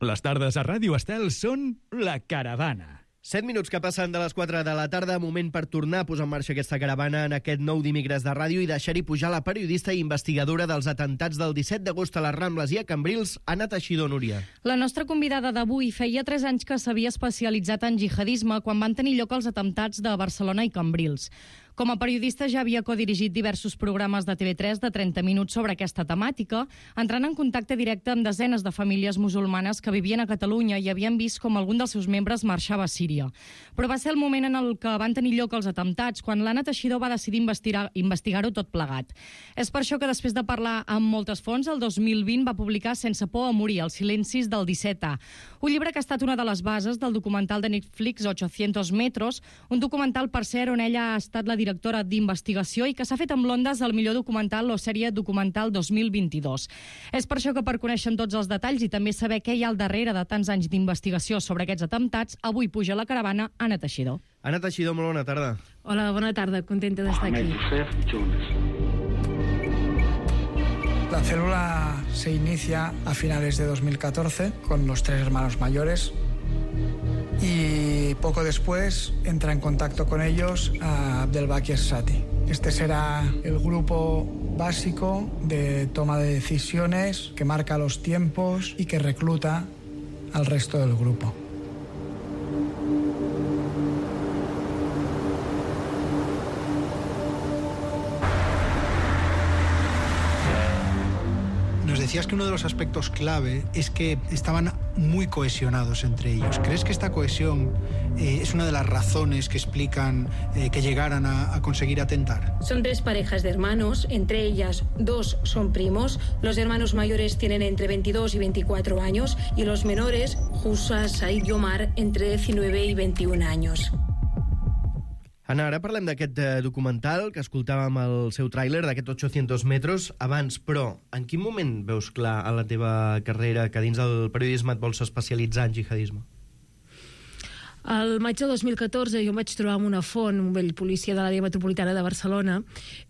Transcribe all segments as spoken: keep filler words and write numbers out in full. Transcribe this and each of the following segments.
Les tardes a Ràdio Estel són La Caravana. Set minuts que passen de les quatre de la tarda, moment per tornar a posar en marxa aquesta caravana en aquest nou dimecres de ràdio i deixar-hi pujar la periodista i investigadora dels atemptats del disset d'agost a les Rambles i a Cambrils, Anna Teixidor, Núria. La nostra convidada d'avui feia tres anys que s'havia especialitzat en jihadisme quan van tenir lloc els atemptats de Barcelona i Cambrils. Com a periodista ja havia codirigit diversos programes de T V tres de trenta minuts sobre aquesta temàtica, entrant en contacte directe amb desenes de famílies musulmanes que vivien a Catalunya i havien vist com algun dels seus membres marxava a Síria. Però va ser el moment en el que van tenir lloc els atemptats quan l'Anna Teixidor va decidir investigar, investigar-ho tot plegat. És per això que després de parlar amb moltes fonts, el dos mil vint va publicar Sense por a morir, els silencis del disset A, un llibre que ha estat una de les bases del documental de Netflix ochocientos metros, un documental, per cert, on ella ha estat la directora d'investigació i que s'ha fet amb l'Ondas del millor documental o sèrie documental dos mil vint-i-dos. És per això que per conèixer tots els detalls i també saber què hi ha al darrere de tants anys d'investigació sobre aquests atemptats, avui puja a la caravana Anna Teixidor. Anna Teixidor, molt bona tarda. Hola, bona tarda, contenta d'estar aquí. La célula se inicia a finales de dos mil catorce con los tres hermanos mayores y poco después entra en contacto con ellos a Abdelbaki Sati. Este será el grupo básico de toma de decisiones que marca los tiempos y que recluta al resto del grupo. Nos decías que uno de los aspectos clave es que estaban muy cohesionados entre ellos. ¿Crees que esta cohesión eh, es una de las razones que explican eh, que llegaran a, a conseguir atentar? Son tres parejas de hermanos, entre ellas dos son primos. Los hermanos mayores tienen entre veintidós y veinticuatro años y los menores, Husa, Said y Omar, entre diecinueve y veintiún años. Anna, ara parlem d'aquest eh, documental que escoltàvem el seu tràiler d'aquest ochocientos metros abans, però en quin moment veus clar a la teva carrera que dins del periodisme et vols especialitzar en jihadisme? Al maig del dos mil catorze jo em vaig trobar amb una font, un vell policia de l'àrea metropolitana de Barcelona,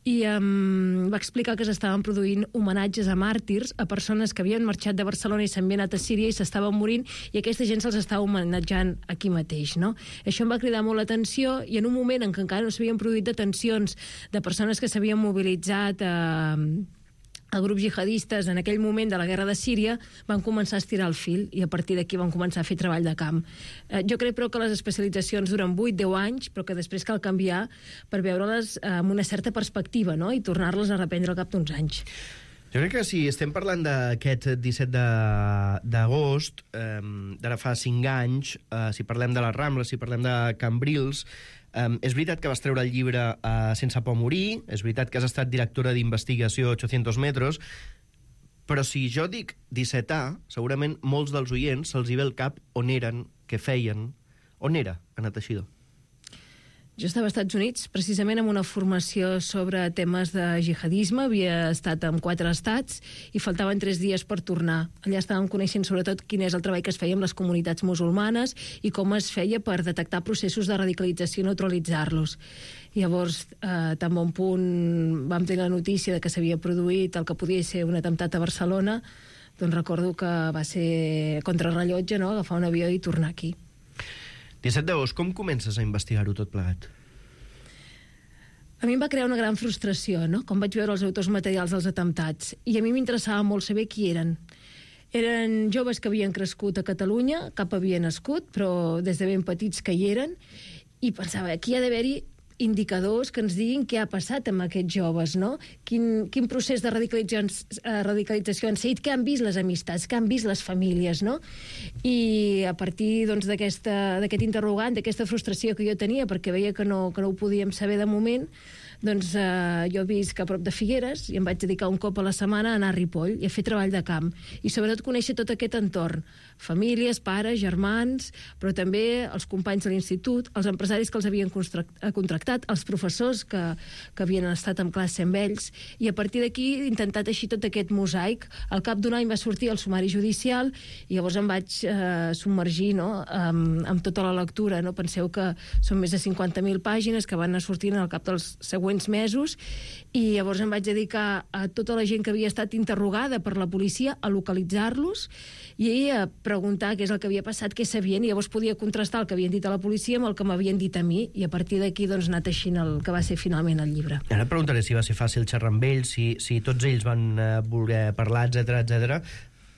i em va explicar que s'estaven produint homenatges a màrtirs, a persones que havien marxat de Barcelona i s'havien anat a Síria i s'estaven morint, i aquesta gent se'ls estava homenatjant aquí mateix, no? Això em va cridar molt l'atenció, i en un moment en què encara no s'havien produït detencions de persones que s'havien mobilitzat a... a grups jihadistes en aquell moment de la guerra de Síria, van començar a estirar el fil i a partir d'aquí van començar a fer treball de camp. Eh, jo crec, però, que les especialitzacions duren vuit a deu anys, però que després cal canviar per veure-les eh, amb una certa perspectiva, no?, i tornar-les a reprendre al cap d'uns anys. Jo crec que si estem parlant d'aquest disset d'agost, eh, d'ara fa cinc anys, eh, si parlem de les Rambles, si parlem de Cambrils, eh, és veritat que vas treure el llibre eh, Sense por a morir, és veritat que has estat directora d'investigació ochocientos metros, però si jo dic disset A, segurament molts dels oients se'ls hi ve al cap on eren, què feien. On era Anna Teixidor? Jo estava als Estats Units precisament amb una formació sobre temes de jihadisme, havia estat en quatre estats i faltaven tres dies per tornar. Allà estàvem coneixent sobretot quin és el treball que es feia amb les comunitats musulmanes i com es feia per detectar processos de radicalització i neutralitzar-los. Llavors, eh, tan bon punt vam tenir la notícia de que s'havia produït el que podia ser un atemptat a Barcelona, doncs recordo que va ser contrarrellotge, no?, agafar un avió i tornar aquí. disset d'agost, com comences a investigar-ho tot plegat? A mi em va crear una gran frustració, no?, quan vaig veure els autors materials dels atemptats. I a mi m'interessava molt saber qui eren. Eren joves que havien crescut a Catalunya, cap havia nascut, però des de ben petits que hi eren, i pensava, aquí ha d'haver-hi indicadors que ens diguin què ha passat amb aquests joves, no? Quin, quin procés de radicalització, radicalització han seguit, què han vist les amistats, què han vist les famílies, no? I a partir doncs, d'aquest interrogant, d'aquesta frustració que jo tenia, perquè veia que no, que no ho podíem saber de moment, doncs eh, jo visc a prop de Figueres i em vaig dedicar un cop a la setmana a anar a Ripoll i a fer treball de camp i sobretot conèixer tot aquest entorn, famílies, pares, germans, però també els companys de l'institut, els empresaris que els havien contractat, els professors que, que havien estat en classe amb ells, i a partir d'aquí he intentat així tot aquest mosaic. Al cap d'un any va sortir el sumari judicial i llavors em vaig eh, submergir, no?, amb, amb tota la lectura, no? Penseu que són més de cinquanta mil pàgines que van anar sortint al cap dels següents següents mesos, i llavors em vaig dedicar a tota la gent que havia estat interrogada per la policia a localitzar-los i a preguntar què és el que havia passat, què sabien, i llavors podia contrastar el que havien dit a la policia amb el que m'havien dit a mi, i a partir d'aquí doncs, ha anat així el que va ser finalment el llibre. Ara et preguntaré si va ser fàcil xerrar amb ells, si, si tots ells van eh, voler parlar, etcètera, etcètera,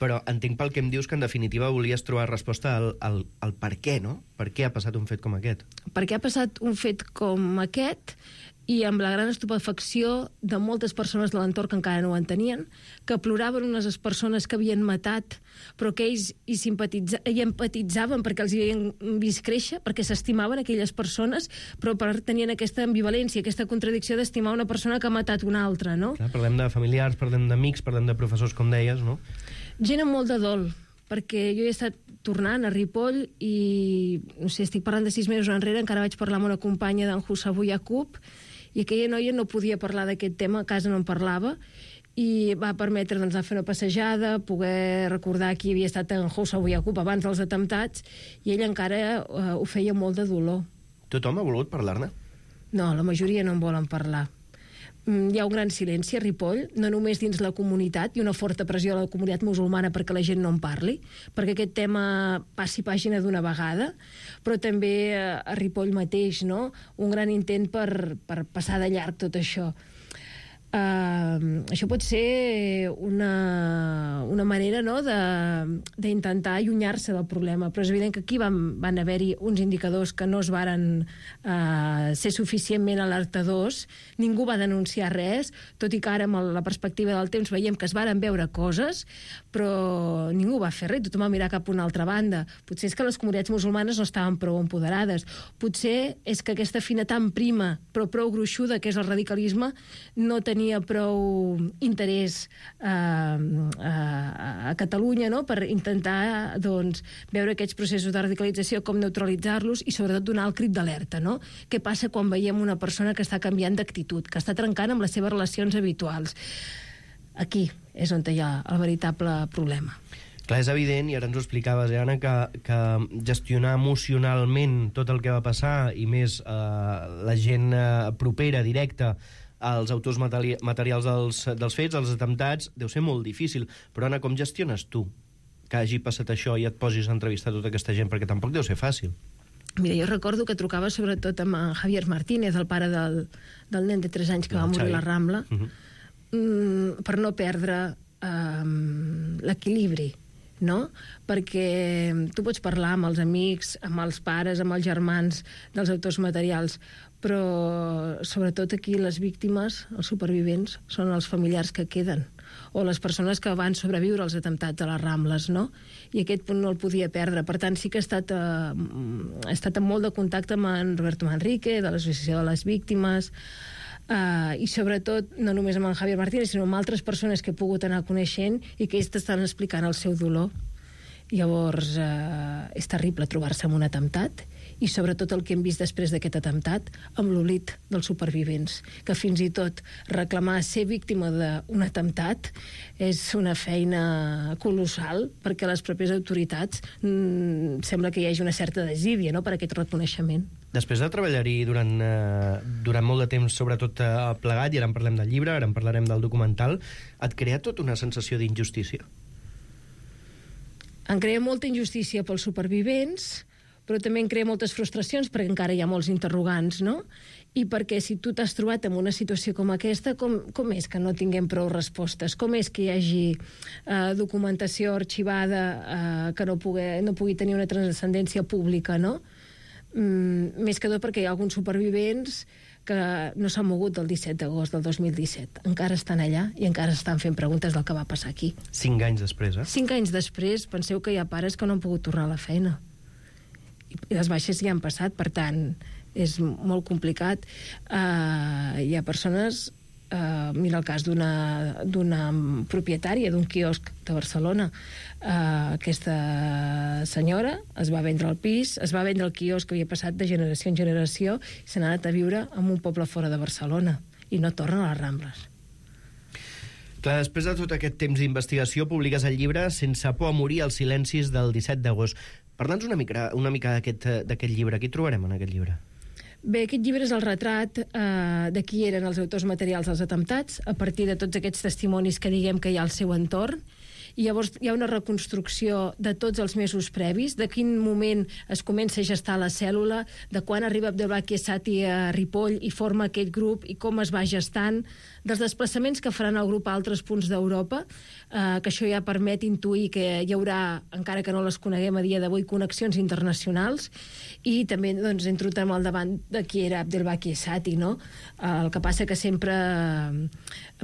però entenc pel que em dius que en definitiva volies trobar resposta al, al, al per què, no? Per què ha passat un fet com aquest? Per què ha passat un fet com aquest, i amb la gran estupefacció de moltes persones de l'entorn que encara no ho entenien, que ploraven unes persones que havien matat, però que ells hi, simpatitza... hi empatitzaven perquè els havien vist créixer, perquè s'estimaven aquelles persones, però per tenien aquesta ambivalència, aquesta contradicció d'estimar una persona que ha matat una altra, no? Clar, parlem de familiars, parlem d'amics, parlem de professors, com deies, no? Gent amb molt de dol, perquè jo he estat tornant a Ripoll i, no sé, estic parlant de sis mesos enrere, encara vaig parlar amb una companya d'en Husabu Yaqub, i aquella noia no podia parlar d'aquest tema, a casa no en parlava, i va permetre doncs, anar a fer una passejada, poder recordar qui havia estat en Husabu Yaqub abans dels atemptats, i ell encara eh, ho feia molt de dolor. Tothom ha volgut parlar-ne? No, la majoria no en volen parlar. Hi ha un gran silenci a Ripoll, no només dins la comunitat, i una forta pressió a la comunitat musulmana perquè la gent no en parli, perquè aquest tema passi pàgina d'una vegada, però també a Ripoll mateix, no? Un gran intent per, per passar de llarg tot això. Uh, això pot ser una, una manera, no?, d'intentar allunyar-se del problema, però és evident que aquí van, van haver-hi uns indicadors que no es varen uh, ser suficientment alertadors, ningú va denunciar res, tot i que ara amb la perspectiva del temps veiem que es varen veure coses, però ningú va fer res, tothom va mirar cap a una altra banda. Potser és que les comunitats musulmanes no estaven prou empoderades, potser és que aquesta fina tan prima però prou gruixuda que és el radicalisme no tenia prou interès eh, a, a Catalunya, no?, per intentar doncs, veure aquests processos de radicalització, com neutralitzar-los i sobretot donar el crit d'alerta, no? Què passa quan veiem una persona que està canviant d'actitud, que està trencant amb les seves relacions habituals? Aquí és on hi ha el veritable problema. Clar, és evident, i ara ens ho explicaves, eh, Anna, que, que gestionar emocionalment tot el que va passar, i més eh, la gent eh, propera, directa, als autors materi materials dels, dels fets, dels atemptats, deu ser molt difícil. Però, Anna, com gestiones tu que hagi passat això i et posis a entrevistar tota aquesta gent? Perquè tampoc deu ser fàcil. Mira, jo recordo que trucava sobretot amb en Javier Martínez, el pare del, del nen de tres anys que va morir a la Rambla, uh-huh. mm, per no perdre um, l'equilibri, no? Perquè tu pots parlar amb els amics, amb els pares, amb els germans dels autors materials, però sobretot aquí les víctimes, els supervivents, són els familiars que queden, o les persones que van sobreviure als atemptats a les Rambles, no? I aquest punt no el podia perdre. Per tant, sí que he estat, eh, he estat en molt de contacte amb en Roberto Manrique, de l'Associació de les Víctimes, eh, i sobretot, no només amb en Javier Martínez, sinó amb altres persones que he pogut anar coneixent i que ells t'estan explicant el seu dolor. Llavors, eh, és terrible trobar-se en un atemptat, i sobretot el que hem vist després d'aquest atemptat, amb l'oblit dels supervivents, que fins i tot reclamar ser víctima d'un atemptat és una feina colossal, perquè les pròpies autoritats mmm, sembla que hi hagi una certa desídia, no?, per aquest reconeixement. Després de treballar-hi durant, eh, durant molt de temps, sobretot eh, plegat, i ara en parlem del llibre, ara en parlarem del documental, et crea tot una sensació d'injustícia? Em crea molta injustícia pels supervivents, però també em crea moltes frustracions perquè encara hi ha molts interrogants, no? I perquè si tu t'has trobat en una situació com aquesta, com, com és que no tinguem prou respostes? Com és que hi hagi eh, documentació arxivada eh, que no pugui, no pugui tenir una transcendència pública, no? Mm, més que tot perquè hi ha alguns supervivents que no s'han mogut del disset d'agost del dos mil disset. Encara estan allà i encara estan fent preguntes del que va passar aquí. Cinc anys després, eh? Cinc anys després, penseu que hi ha pares que no han pogut tornar a la feina. I les baixes ja han passat, per tant, és molt complicat. Uh, hi ha persones... Uh, mira el cas d'una d'una propietària d'un quiosc de Barcelona. Uh, aquesta senyora es va vendre el pis, es va vendre el quiosc que havia passat de generació en generació i se n'ha anat a viure en un poble fora de Barcelona i no torna a les Rambles. Clar, després de tot aquest temps d'investigació, publiques el llibre Sense por a morir, els silencis del disset d'agost. Parla'ns una mica, una mica d'aquest llibre. Què hi trobarem en aquest llibre? Bé, aquest llibre és el retrat eh, de qui eren els autors materials dels atemptats, a partir de tots aquests testimonis que diguem que hi ha al seu entorn, i llavors hi ha una reconstrucció de tots els mesos previs, de quin moment es comença a gestar la cèl·lula, de quan arriba Abdelbaki Essati a Ripoll i forma aquest grup i com es va gestant, dels desplaçaments que faran el grup a altres punts d'Europa, eh, que això ja permet intuir que hi haurà, encara que no les coneguem a dia d'avui, connexions internacionals, i també doncs, entrem al davant de qui era Abdelbaki Essati, no? El que passa que sempre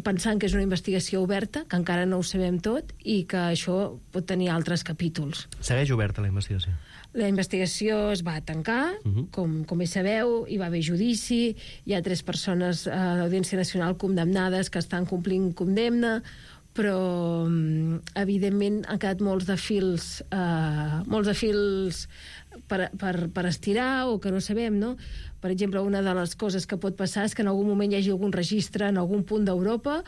pensant que és una investigació oberta, que encara no ho sabem tot, i que això pot tenir altres capítols. Segueix oberta la investigació? La investigació es va tancar, uh -huh. com, com bé sabeu, hi va haver judici, hi ha tres persones a l'Audiència Nacional condemnades que estan complint condemna, però evidentment han quedat molts de fils eh, molts de fils per, per, per estirar o que no sabem, no? Per exemple, una de les coses que pot passar és que en algun moment hi hagi algun registre en algun punt d'Europa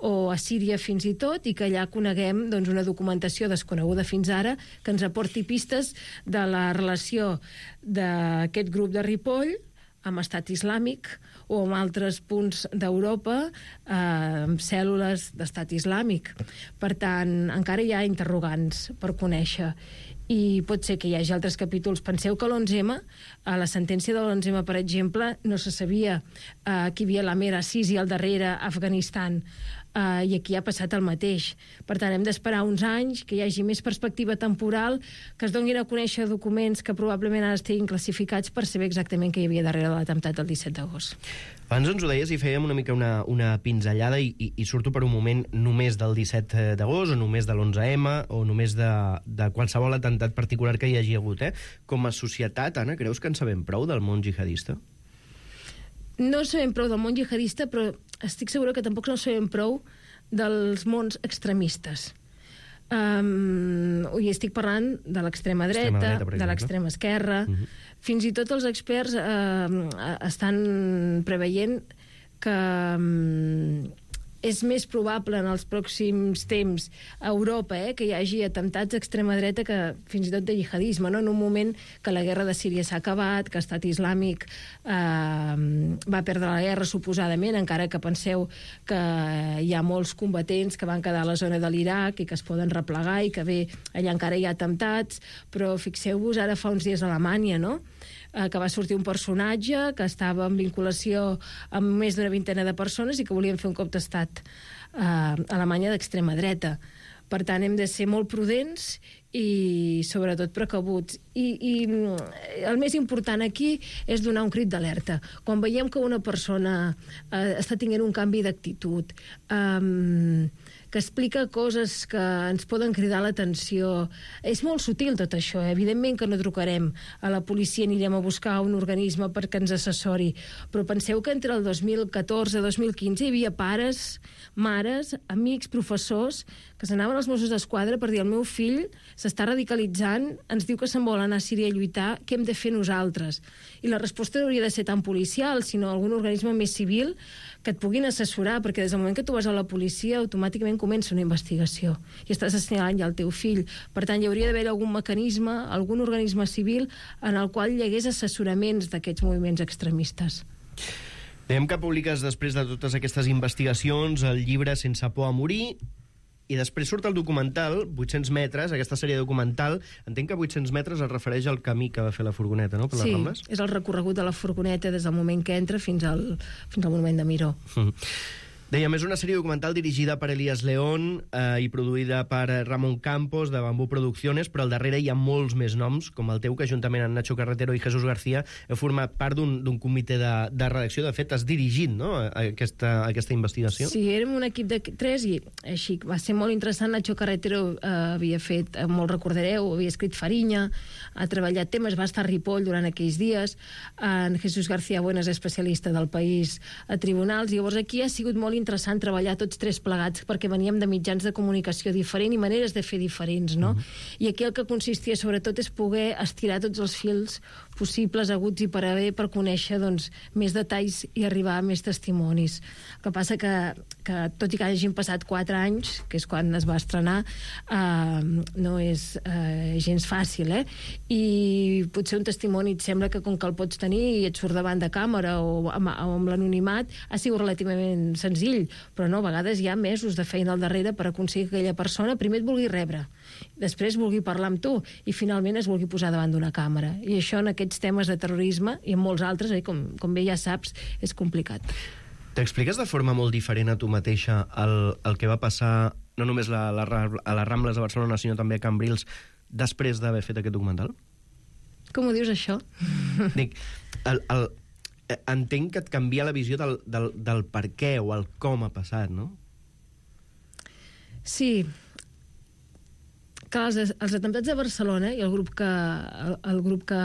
o a Síria fins i tot, i que allà coneguem doncs, una documentació desconeguda fins ara que ens aporti pistes de la relació d'aquest grup de Ripoll amb Estat Islàmic o amb altres punts d'Europa eh, amb cèl·lules d'Estat Islàmic. Per tant, encara hi ha interrogants per conèixer, i pot ser que hi hagi altres capítols. Penseu que l'onze eme, a la sentència de l'onze eme, per exemple, no se sabia eh, que hi havia la Mera Sisi al darrere a Afganistan, eh, i aquí ha passat el mateix. Per tant, hem d'esperar uns anys, que hi hagi més perspectiva temporal, que es donin a conèixer documents que probablement ara estiguin classificats per saber exactament què hi havia darrere de l'atemptat del disset d'agost. Abans ens ho deies i fèiem una mica una, una pinzellada i, i, i surto per un moment només del disset d'agost o només de l'onze eme o només de, de qualsevol atemptat particular que hi hagi hagut. Eh? Com a societat, Anna, creus que en sabem prou del món jihadista? No sabem prou del món jihadista, però estic segura que tampoc no sabem prou dels mons extremistes. Um, i estic parlant de l'extrema dreta, dreta de l'extrema esquerra. Uh-huh. Fins i tot els experts uh, estan preveient que um, és més probable en els pròxims temps a Europa eh, que hi hagi atemptats d'extrema dreta que fins i tot de jihadisme, no? En un moment que la guerra de Síria s'ha acabat, que Estat Islàmic eh, va perdre la guerra suposadament, encara que penseu que hi ha molts combatents que van quedar a la zona de l'Iraq i que es poden replegar i que bé, allà encara hi ha atemptats, però fixeu-vos ara fa uns dies a Alemanya, no? que va sortir un personatge que estava en vinculació amb més d'una vintena de persones i que volien fer un cop d'estat eh, a Alemanya d'extrema dreta. Per tant, hem de ser molt prudents i, sobretot, precabuts. I, i el més important aquí és donar un crit d'alerta. Quan veiem que una persona eh, està tenint un canvi d'actitud, eh, que explica coses que ens poden cridar l'atenció. És molt sutil tot això, eh? Evidentment que no trucarem a la policia, anirem a buscar un organisme perquè ens assessori, però penseu que entre el dos mil catorze i dos mil quinze hi havia pares, mares, amics, professors que s'anaven als Mossos d'Esquadra per dir el meu fill s'està radicalitzant, ens diu que se'n vol anar a Síria a lluitar, què hem de fer nosaltres? I la resposta no hauria de ser tan policial, sinó algun organisme més civil que et puguin assessorar, perquè des del moment que tu vas a la policia automàticament comença una investigació i estàs assenyalant ja el teu fill. Per tant, hi hauria d'haver algun mecanisme, algun organisme civil en el qual hi hagués assessoraments d'aquests moviments extremistes. Dèiem que publiques després de totes aquestes investigacions el llibre Sense por a morir, i després surt el documental, vuit-cents metres, aquesta sèrie documental. Entenc que vuit-cents metres es refereix al camí que va fer la furgoneta, no?, per les Rambles? Sí, és el recorregut de la furgoneta des del moment que entra fins al, fins al monument de Miró. Mm. Dèiem, és una sèrie documental dirigida per Elías León eh, i produïda per Ramon Campos, de Bambú Producciones, però al darrere hi ha molts més noms, com el teu, que juntament amb Nacho Carretero i Jesús García heu format part d'un comitè de, de redacció. De fet, has dirigit, no?, aquesta, aquesta investigació. Sí, érem un equip de tres i així va ser molt interessant. Nacho Carretero eh, havia fet, eh, molt recordareu, havia escrit Farinya, ha treballat temes, va estar a Ripoll durant aquells dies. En Jesús García Bueno és especialista del País a tribunals, i llavors aquí ha sigut molt interessant treballar tots tres plegats, perquè veníem de mitjans de comunicació diferents i maneres de fer diferents, no? Mm-hmm. I aquí el que consistia sobretot és poder estirar tots els fils possibles, aguts i per haver, per conèixer doncs, més detalls i arribar a més testimonis. El que passa que, que tot i que hagin passat quatre anys, que és quan es va estrenar, eh, no és eh, gens fàcil, eh? I potser un testimoni et sembla que com que el pots tenir i et surt davant de càmera o amb, o amb l'anonimat, ha sigut relativament senzill, però no, a vegades hi ha mesos de feina al darrere per aconseguir que aquella persona primer et vulgui rebre, després vulgui parlar amb tu i finalment es vulgui posar davant d'una càmera. I això en aquests temes de terrorisme i en molts altres, eh, com, com bé ja saps, és complicat. T'expliques de forma molt diferent a tu mateixa el, el que va passar no només la, la, a les Rambles de Barcelona, sinó també a Cambrils, després d'haver fet aquest documental? Com ho dius, això? Dic, el, el, entenc que et canvia la visió del, del, del per què o el com ha passat, no? Sí. Clar, els, els atemptats de Barcelona i el grup que, el, el grup que,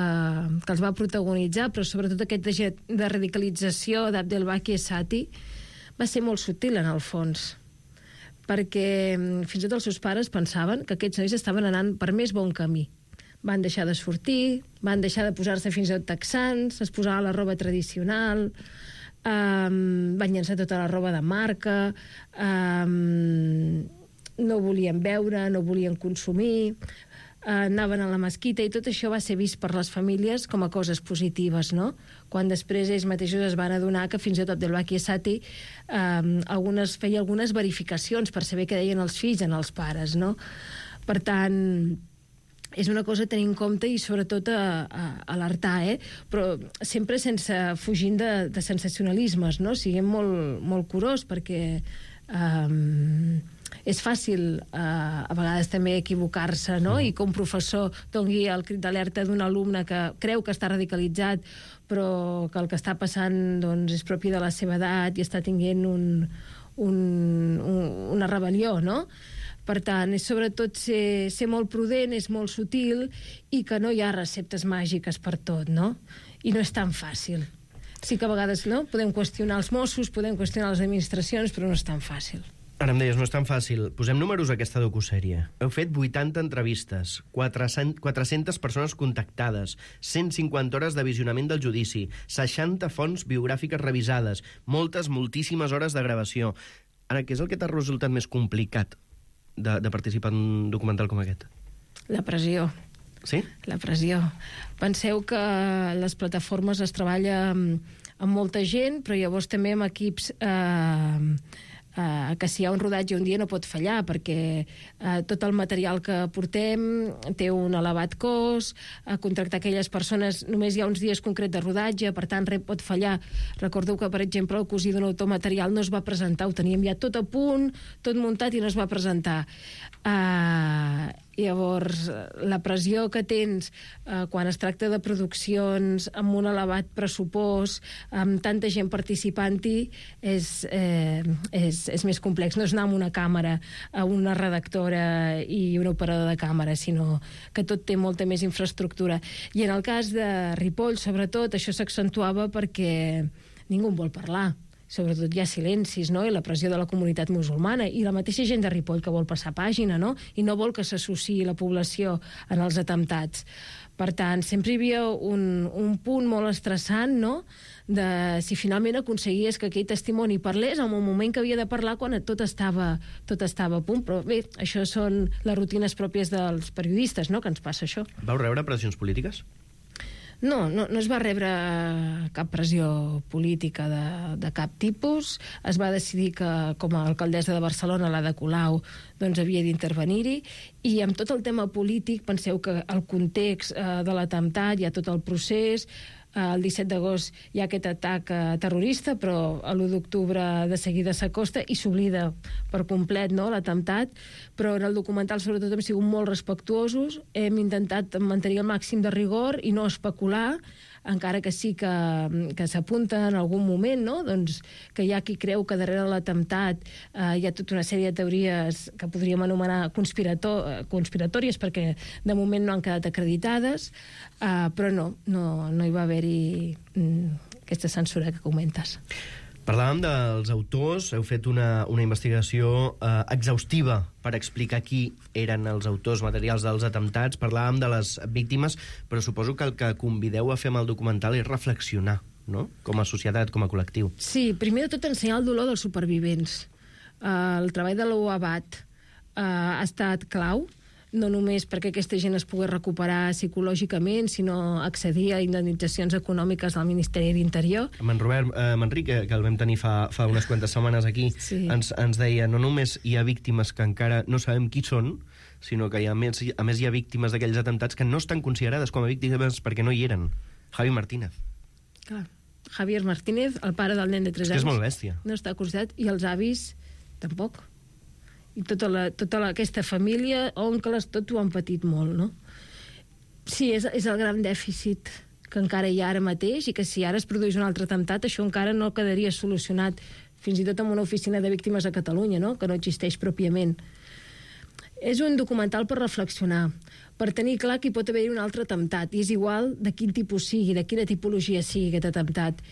que els va protagonitzar, però sobretot aquest de, de radicalització d'Abdelbaki Esati, va ser molt sutil en el fons, perquè fins i tot els seus pares pensaven que aquests nois estaven anant per més bon camí. Van deixar de sortir, van deixar de posar-se fins i tot texans, es posaven la roba tradicional, um, van llençar tota la roba de marca, um, no volien beure, no volien consumir, eh, anaven a la mesquita, i tot això va ser vist per les famílies com a coses positives, no? Quan després ells mateixos es van adonar que fins i tot Abdelbaki Esati eh, algunes, feia algunes verificacions per saber què deien els fills en els pares, no? Per tant, és una cosa a tenir en compte i sobretot a, a, a alertar, eh? Però sempre sense fugint de, de sensacionalismes, no? Siguem molt, molt curós, perquè eh, és fàcil eh, a vegades també equivocar-se, no? I que un professor doni el crit d'alerta d'un alumne que creu que està radicalitzat, però que el que està passant doncs, és propi de la seva edat i està tinguent un, un, un, una rebel·lió, no? Per tant, és sobretot ser, ser molt prudent, és molt sutil i que no hi ha receptes màgiques per tot, no? I no és tan fàcil. Sí que a vegades no? Podem qüestionar els Mossos, podem qüestionar les administracions, però no és tan fàcil. Ara em deies, no és tan fàcil. Posem números a aquesta docusèrie. Heu fet vuitanta entrevistes, quatre-centes persones contactades, cent cinquanta hores de visionament del judici, seixanta fonts biogràfiques revisades, moltes, moltíssimes hores de gravació. Ara, què és el que t'ha resultat més complicat de, de participar en un documental com aquest? La pressió. Sí? La pressió. Penseu que les plataformes es treballa amb, amb molta gent, però llavors també amb equips... Eh, Uh, que si hi ha un rodatge un dia no pot fallar, perquè uh, tot el material que portem té un elevat cost, uh, contractar aquelles persones, només hi ha uns dies concrets de rodatge, per tant res pot fallar. Recordeu que, per exemple, el cosí d'un autor material no es va presentar, ho teníem ja tot a punt, tot muntat i no es va presentar. Uh, llavors, la pressió que tens uh, quan es tracta de produccions amb un elevat pressupost, amb tanta gent participant-hi, és, eh, és, és més complex. No és anar amb una càmera, a una redactora i un operador de càmera, sinó que tot té molta més infraestructura. I en el cas de Ripoll, sobretot, això s'accentuava perquè ningú en vol parlar. Sobretot hi ha silencis, no? I la pressió de la comunitat musulmana i la mateixa gent de Ripoll que vol passar pàgina, no? I no vol que s'associï la població en els atemptats. Per tant, sempre hi havia un, un punt molt estressant, no?, de si finalment aconseguies que aquell testimoni parlés en un moment que havia de parlar quan tot estava, tot estava a punt. Però bé, això són les rutines pròpies dels periodistes, no?, que ens passa això. Vau rebre pressions polítiques? No, no, no es va rebre cap pressió política de, de cap tipus. Es va decidir que, com a alcaldessa de Barcelona, l'Ada Colau, doncs havia d'intervenir-hi. I amb tot el tema polític, penseu que el context eh, de l'atemptat, hi ha tot el procés. El disset d'agost hi ha aquest atac terrorista, però l'u d'octubre de seguida s'acosta i s'oblida per complet, no?, l'atemptat. Però en el documental, sobretot, hem sigut molt respectuosos, hem intentat mantenir el màxim de rigor i no especular, encara que sí que, que s'apunta en algun moment, no?, doncs, que hi ha qui creu que darrere l'atemptat eh, hi ha tota una sèrie de teories que podríem anomenar conspirator, conspiratòries, perquè de moment no han quedat acreditades, eh, però no, no, no hi va haver-hi mm, aquesta censura que comentes. Parlàvem dels autors, heu fet una, una investigació eh, exhaustiva per explicar qui eren els autors materials dels atemptats. Parlàvem de les víctimes, però suposo que el que convideu a fer amb el documental és reflexionar, no? Com a societat, com a col·lectiu. Sí, primer de tot ensenyar el dolor dels supervivents. Uh, el treball de l'O A B A T uh, ha estat clau, no només perquè aquesta gent es pogués recuperar psicològicament, sinó accedir a indemnitzacions econòmiques del Ministeri d'Interior. Amb en Robert eh, Manric, que, que el vam tenir fa, fa unes quantes setmanes aquí, sí. ens, ens deia, no només hi ha víctimes que encara no sabem qui són, sinó que hi ha, a, més, a més hi ha víctimes d'aquells atemptats que no estan considerades com a víctimes perquè no hi eren. Javi Martínez. Clar. Javier Martínez, el pare del nen de tres anys. És que és molt bèstia. No està considerat, i els avis tampoc. I tota, la, tota la, aquesta família, oncles, tot ho han patit molt, no? Sí, és, és el gran dèficit que encara hi ha ara mateix, i que si ara es produís un altre atemptat, això encara no quedaria solucionat, fins i tot amb una oficina de víctimes a Catalunya, no? Que no existeix pròpiament. És un documental per reflexionar, per tenir clar que hi pot haver un altre atemptat, i és igual de quin tipus sigui, de quina tipologia sigui aquest atemptat.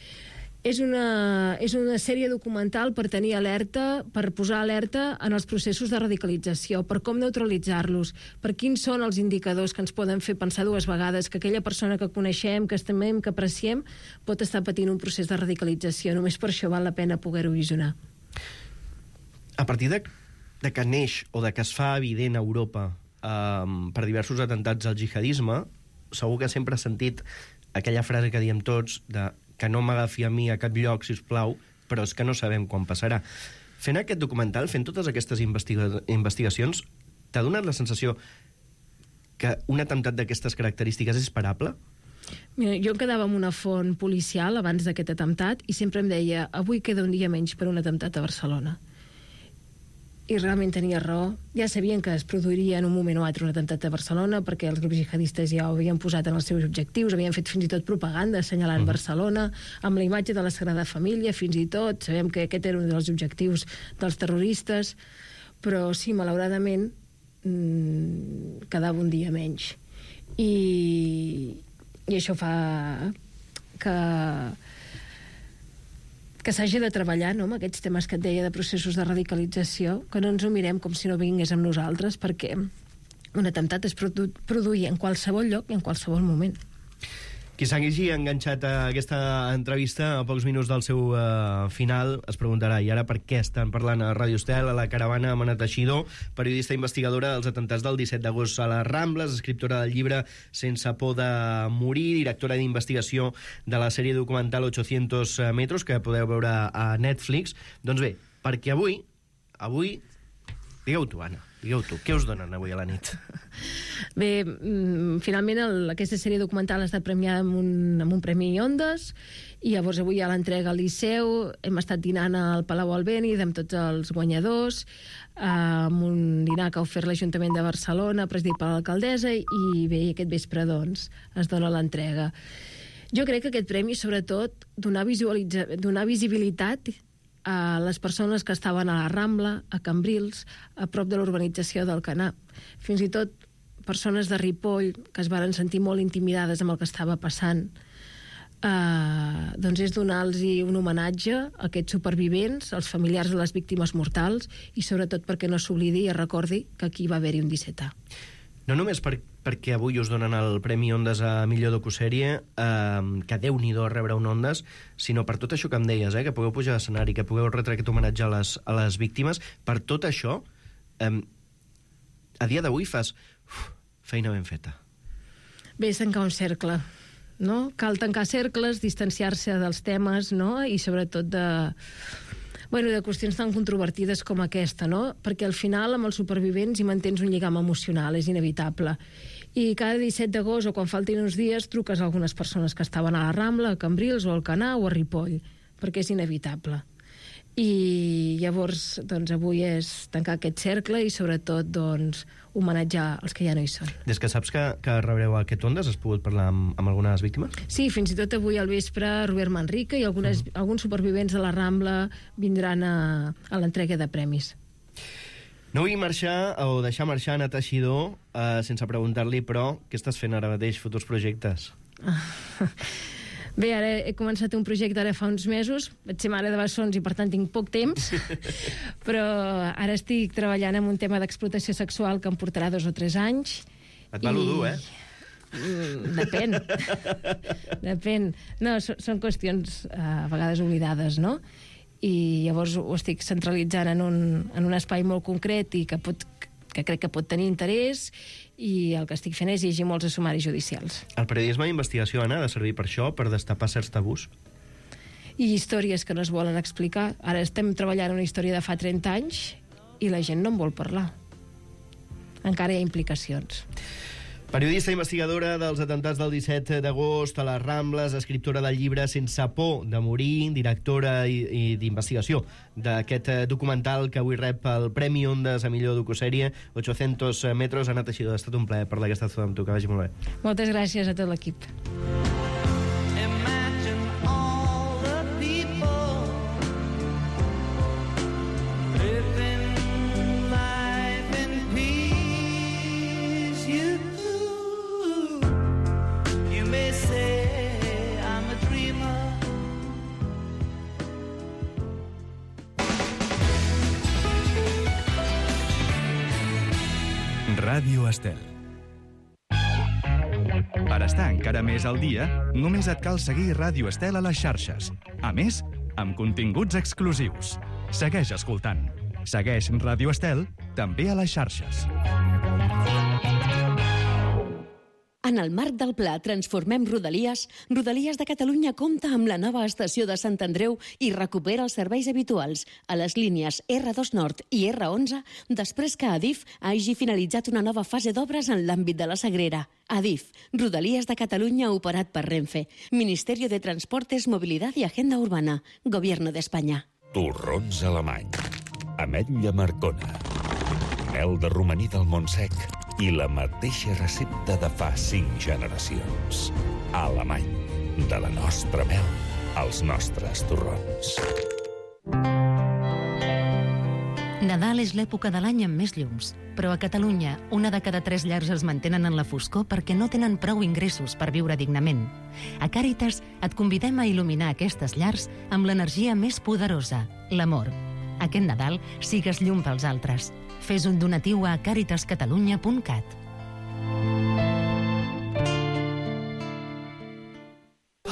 És una, és una sèrie documental per tenir alerta, per posar alerta en els processos de radicalització, per com neutralitzar-los, per quins són els indicadors que ens poden fer pensar dues vegades que aquella persona que coneixem, que estimem, que apreciem, pot estar patint un procés de radicalització. Només per això val la pena poder-ho visionar. A partir de, de que neix o de que es fa evident a Europa eh, per diversos atemptats al jihadisme, segur que sempre has sentit aquella frase que diem tots de que no m'agafi a mi a cap lloc, sisplau, però és que no sabem quan passarà. Fent aquest documental, fent totes aquestes investiga investigacions, t'ha donat la sensació que un atemptat d'aquestes característiques és esperable? Mira, jo em quedava amb una font policial abans d'aquest atemptat i sempre em deia, avui queda un dia menys per un atemptat a Barcelona. I realment tenia raó. Ja sabien que es produiria en un moment o altre un atemptat a Barcelona, perquè els grups jihadistes ja ho havien posat en els seus objectius, havien fet fins i tot propaganda assenyalant uh-huh. Barcelona, amb la imatge de la Sagrada Família, fins i tot. Sabem que aquest era un dels objectius dels terroristes, però sí, malauradament, mmm, quedava un dia menys. I, i això fa que... que s'hagi de treballar, no?, amb aquests temes que et deia de processos de radicalització, que no ens ho mirem com si no vingués amb nosaltres, perquè un atemptat es produ produïa en qualsevol lloc i en qualsevol moment. Qui s'hagi enganxat a aquesta entrevista a pocs minuts del seu uh, final es preguntarà, i ara per què estan parlant a Ràdio Estel, a la caravana, amb Anna Teixidor, periodista investigadora dels atemptats del disset d'agost a les Rambles, escriptora del llibre Sense por de morir, directora d'investigació de la sèrie documental ochocientos metros, que podeu veure a Netflix. Doncs bé, perquè avui, avui, digueu tu, Anna, digueu tu, què us donen avui a la nit? Bé, finalment el, aquesta sèrie documental ha estat premiada amb un, amb un premi Ondas, i llavors avui hi ha l'entrega al Liceu, hem estat dinant al Palau Albéniz amb tots els guanyadors, eh, amb un dinar que ha ofert l'Ajuntament de Barcelona, presidit per l'alcaldessa, i bé, aquest vespre, doncs, es dona l'entrega. Jo crec que aquest premi, sobretot, donar, donar visibilitat a les persones que estaven a la Rambla, a Cambrils, a prop de l'urbanització del Canà. Fins i tot persones de Ripoll que es varen sentir molt intimidades amb el que estava passant. Uh, doncs és donar-los un homenatge a aquests supervivents, als familiars de les víctimes mortals, i sobretot perquè no s'oblidi i es recordi que aquí va haver-hi un disset A. No només per, perquè avui us donen el Premi Ondas a millor docusèrie, eh, que déu-n'hi-do rebre un Ondas, sinó per tot això que em deies, eh, que pugueu pujar a l'escenari, que pugueu retre aquest homenatge a les, a les víctimes. Per tot això, eh, a dia d'avui fas uf, feina ben feta. Bé, és tancar un cercle, no? Cal tancar cercles, distanciar-se dels temes, no? I sobretot de... Bueno, de qüestions tan controvertides com aquesta, no? Perquè al final, amb els supervivents, hi mantens un lligam emocional, és inevitable. I cada disset d'agost, o quan faltin uns dies, truques a algunes persones que estaven a la Rambla, a Cambrils, o al Canà, o a Ripoll, perquè és inevitable. I llavors, doncs, avui és tancar aquest cercle i, sobretot, doncs, homenatjar els que ja no hi són. Des que saps que, que rebreu aquest Ondas, has pogut parlar amb, amb algunes víctimes? Sí, fins i tot avui al vespre Robert Manrique i algunes, uh -huh. alguns supervivents de la Rambla vindran a, a l'entrega de premis. No vull marxar o deixar marxar Anna Teixidor eh, sense preguntar-li, però, què estàs fent ara mateix, futurs projectes? Bé, ara he començat un projecte ara fa uns mesos, vaig ser mare de bessons i per tant tinc poc temps, però ara estic treballant en un tema d'explotació sexual que em portarà dos o tres anys. Et va lo dur, eh? Mm, depèn. Depèn. No, so, són qüestions uh, a vegades oblidades, no? I llavors ho estic centralitzant en un, en un espai molt concret i que, pot, que crec que pot tenir interès, i el que estic fent és llegir molts sumaris judicials. El periodisme d'investigació, Anna, ha de servir per això, per destapar certs tabús? I històries que no es volen explicar. Ara estem treballant una història de fa trenta anys i la gent no en vol parlar. Encara hi ha implicacions. Periodista i investigadora dels atemptats del disset d'agost a les Rambles, escriptora del llibre Sense por de morir, directora i, i d'investigació d'aquest documental que avui rep el Premi Ondas a millor docusèrie, ocho-cents metros. Anna Teixidó, ha estat un plaer parlar aquesta estona amb tu, que vagi molt bé. Moltes gràcies a tot l'equip. Ràdio Estel. Per estar encara més al dia, només et cal seguir Ràdio Estel a les xarxes. A més, amb continguts exclusius. Segueix escoltant. Segueix Ràdio Estel també a les xarxes. En el marc del pla Transformem Rodalies, Rodalies de Catalunya compta amb la nova estació de Sant Andreu i recupera els serveis habituals a les línies erre dos Nord i erre onze després que Adif hagi finalitzat una nova fase d'obres en l'àmbit de la Sagrera. Adif, Rodalies de Catalunya operat per Renfe, Ministerio de Transportes, Movilidad y Agenda Urbana, Gobierno de España. Torrons alemany, ametlla marcona, mel de romaní del Montsec i la mateixa recepta de fa cinc generacions. Alemany, de la nostra mel als nostres torrons. Nadal és l'època de l'any amb més llums, però a Catalunya una de cada tres llars es mantenen en la foscor perquè no tenen prou ingressos per viure dignament. A Càritas et convidem a il·luminar aquestes llars amb l'energia més poderosa, l'amor. Aquest Nadal sigues llum pels altres. Fes un donatiu a càritas catalunya punt cat.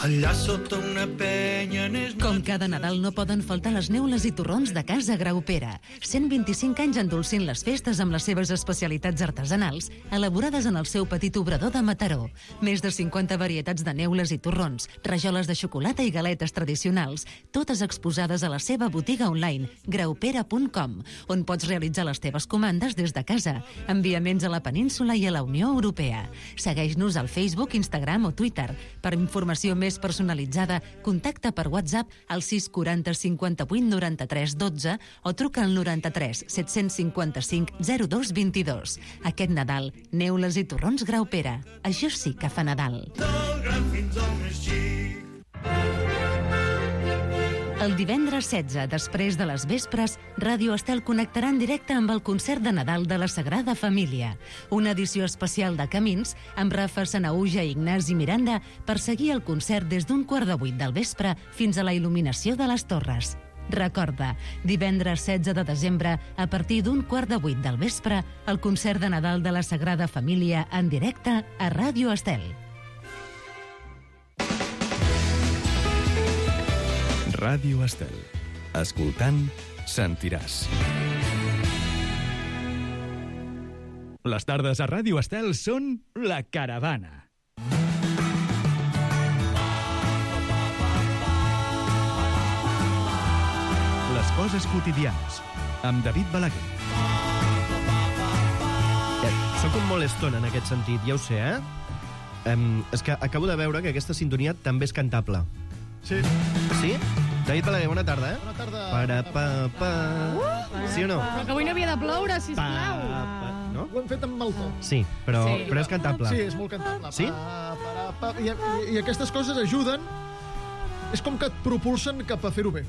Allà sota una penya... Com cada Nadal no poden faltar les neules i torrons de Casa Graupera. cent vint-i-cinc anys endolcint les festes amb les seves especialitats artesanals, elaborades en el seu petit obrador de Mataró. Més de cinquanta varietats de neules i torrons, rajoles de xocolata i galetes tradicionals, totes exposades a la seva botiga online, graupera punt com, on pots realitzar les teves comandes des de casa, enviaments a la península i a la Unió Europea. Segueix-nos al Facebook, Instagram o Twitter. Per informació més personalitzada, contacta per WhatsApp al sis quaranta cinquanta-vuit noranta-tres dotze o truca al noranta-tres set-cents cinquanta-cinc zero dos vint-i-dos. Aquest Nadal, neules i torrons Graupera. Això sí que fa Nadal. El divendres setze, després de les vespres, Ràdio Estel connectarà en directe amb el concert de Nadal de la Sagrada Família, una edició especial de Camins amb Rafa Sanaüja i Ignasi Miranda per seguir el concert des d'un quart de vuit del vespre fins a la il·luminació de les torres. Recorda, divendres setze de desembre, a partir d'un quart de vuit del vespre, el concert de Nadal de la Sagrada Família en directe a Ràdio Estel. Ràdio Estel. Escoltant, sentiràs. Les tardes a Ràdio Estel són La Caravana. Les coses quotidianes, amb David Balaguer. Eh, soc un molt estona en aquest sentit, ja ho sé, eh? Um, és que acabo de veure que aquesta sintonia també és cantable. Sí. Sí? David Balaguer, bona tarda, eh? Bona tarda. Para, pa, pa... Uh, sí o no? Però que avui no havia de ploure, sisplau. Pa, pa, no? Ho hem fet amb el to. Sí, però, Sí. però és cantable. Sí, és molt cantable. Sí? Pa, pa, pa, i, i, I aquestes coses ajuden. És com que et propulsen cap a fer-ho bé.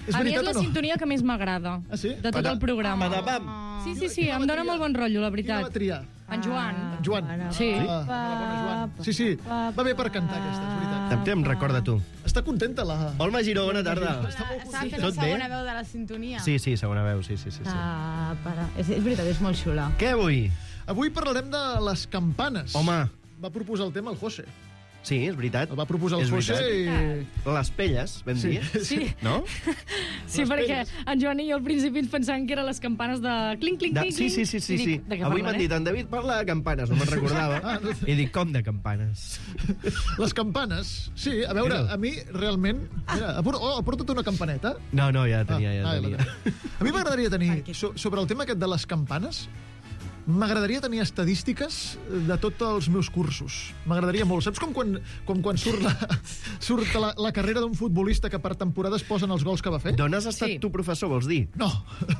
És A mi és veritat la o no? sintonia que més m'agrada Ah, sí? de tot el programa. Padapam. Sí, sí, sí, em dóna molt bon rotllo, la Qui la va veritat. triar? En Joan. En Joan. Sí. Ah, la bona Joan. Sí, sí, va bé per cantar aquesta, és veritat. També em recorda tu. Està contenta la... Olma Giró, bona tarda. Està molt Estava fent Tot la bé? segona veu de la sintonia. Sí, sí, segona veu, sí, sí, sí. sí. Ah, para. És, és veritat, és molt xula. Què avui? Avui parlarem de les campanes. Home. Va proposar el tema el José. Sí, és veritat. El va proposar el És José veritat. i... Les pelles, vam Sí, dir. Sí. No? Sí, perquè en Joan i jo al principi ens pensàvem que eren les campanes de clinc, clinc, De... clinc, Sí, sí, sí, sí, I sí. dic, de què Avui parlen, m'han dit, en David parla de campanes, no me'n recordava. Ah, no. I dic, com de campanes? Les campanes, sí, a veure, Mira. a mi realment... Mira, apor- oh, aporta't una campaneta. No, no, ja tenia, ja Ah, tenia. la- A mi m'agradaria tenir, so, sobre el tema aquest de les campanes, m'agradaria tenir estadístiques de tots els meus cursos. M'agradaria molt. Saps com quan, com quan surt, la, surt la, la carrera d'un futbolista que per temporada es posen els gols que va fer? D'on has estat Sí. tu, professor, vols dir? No.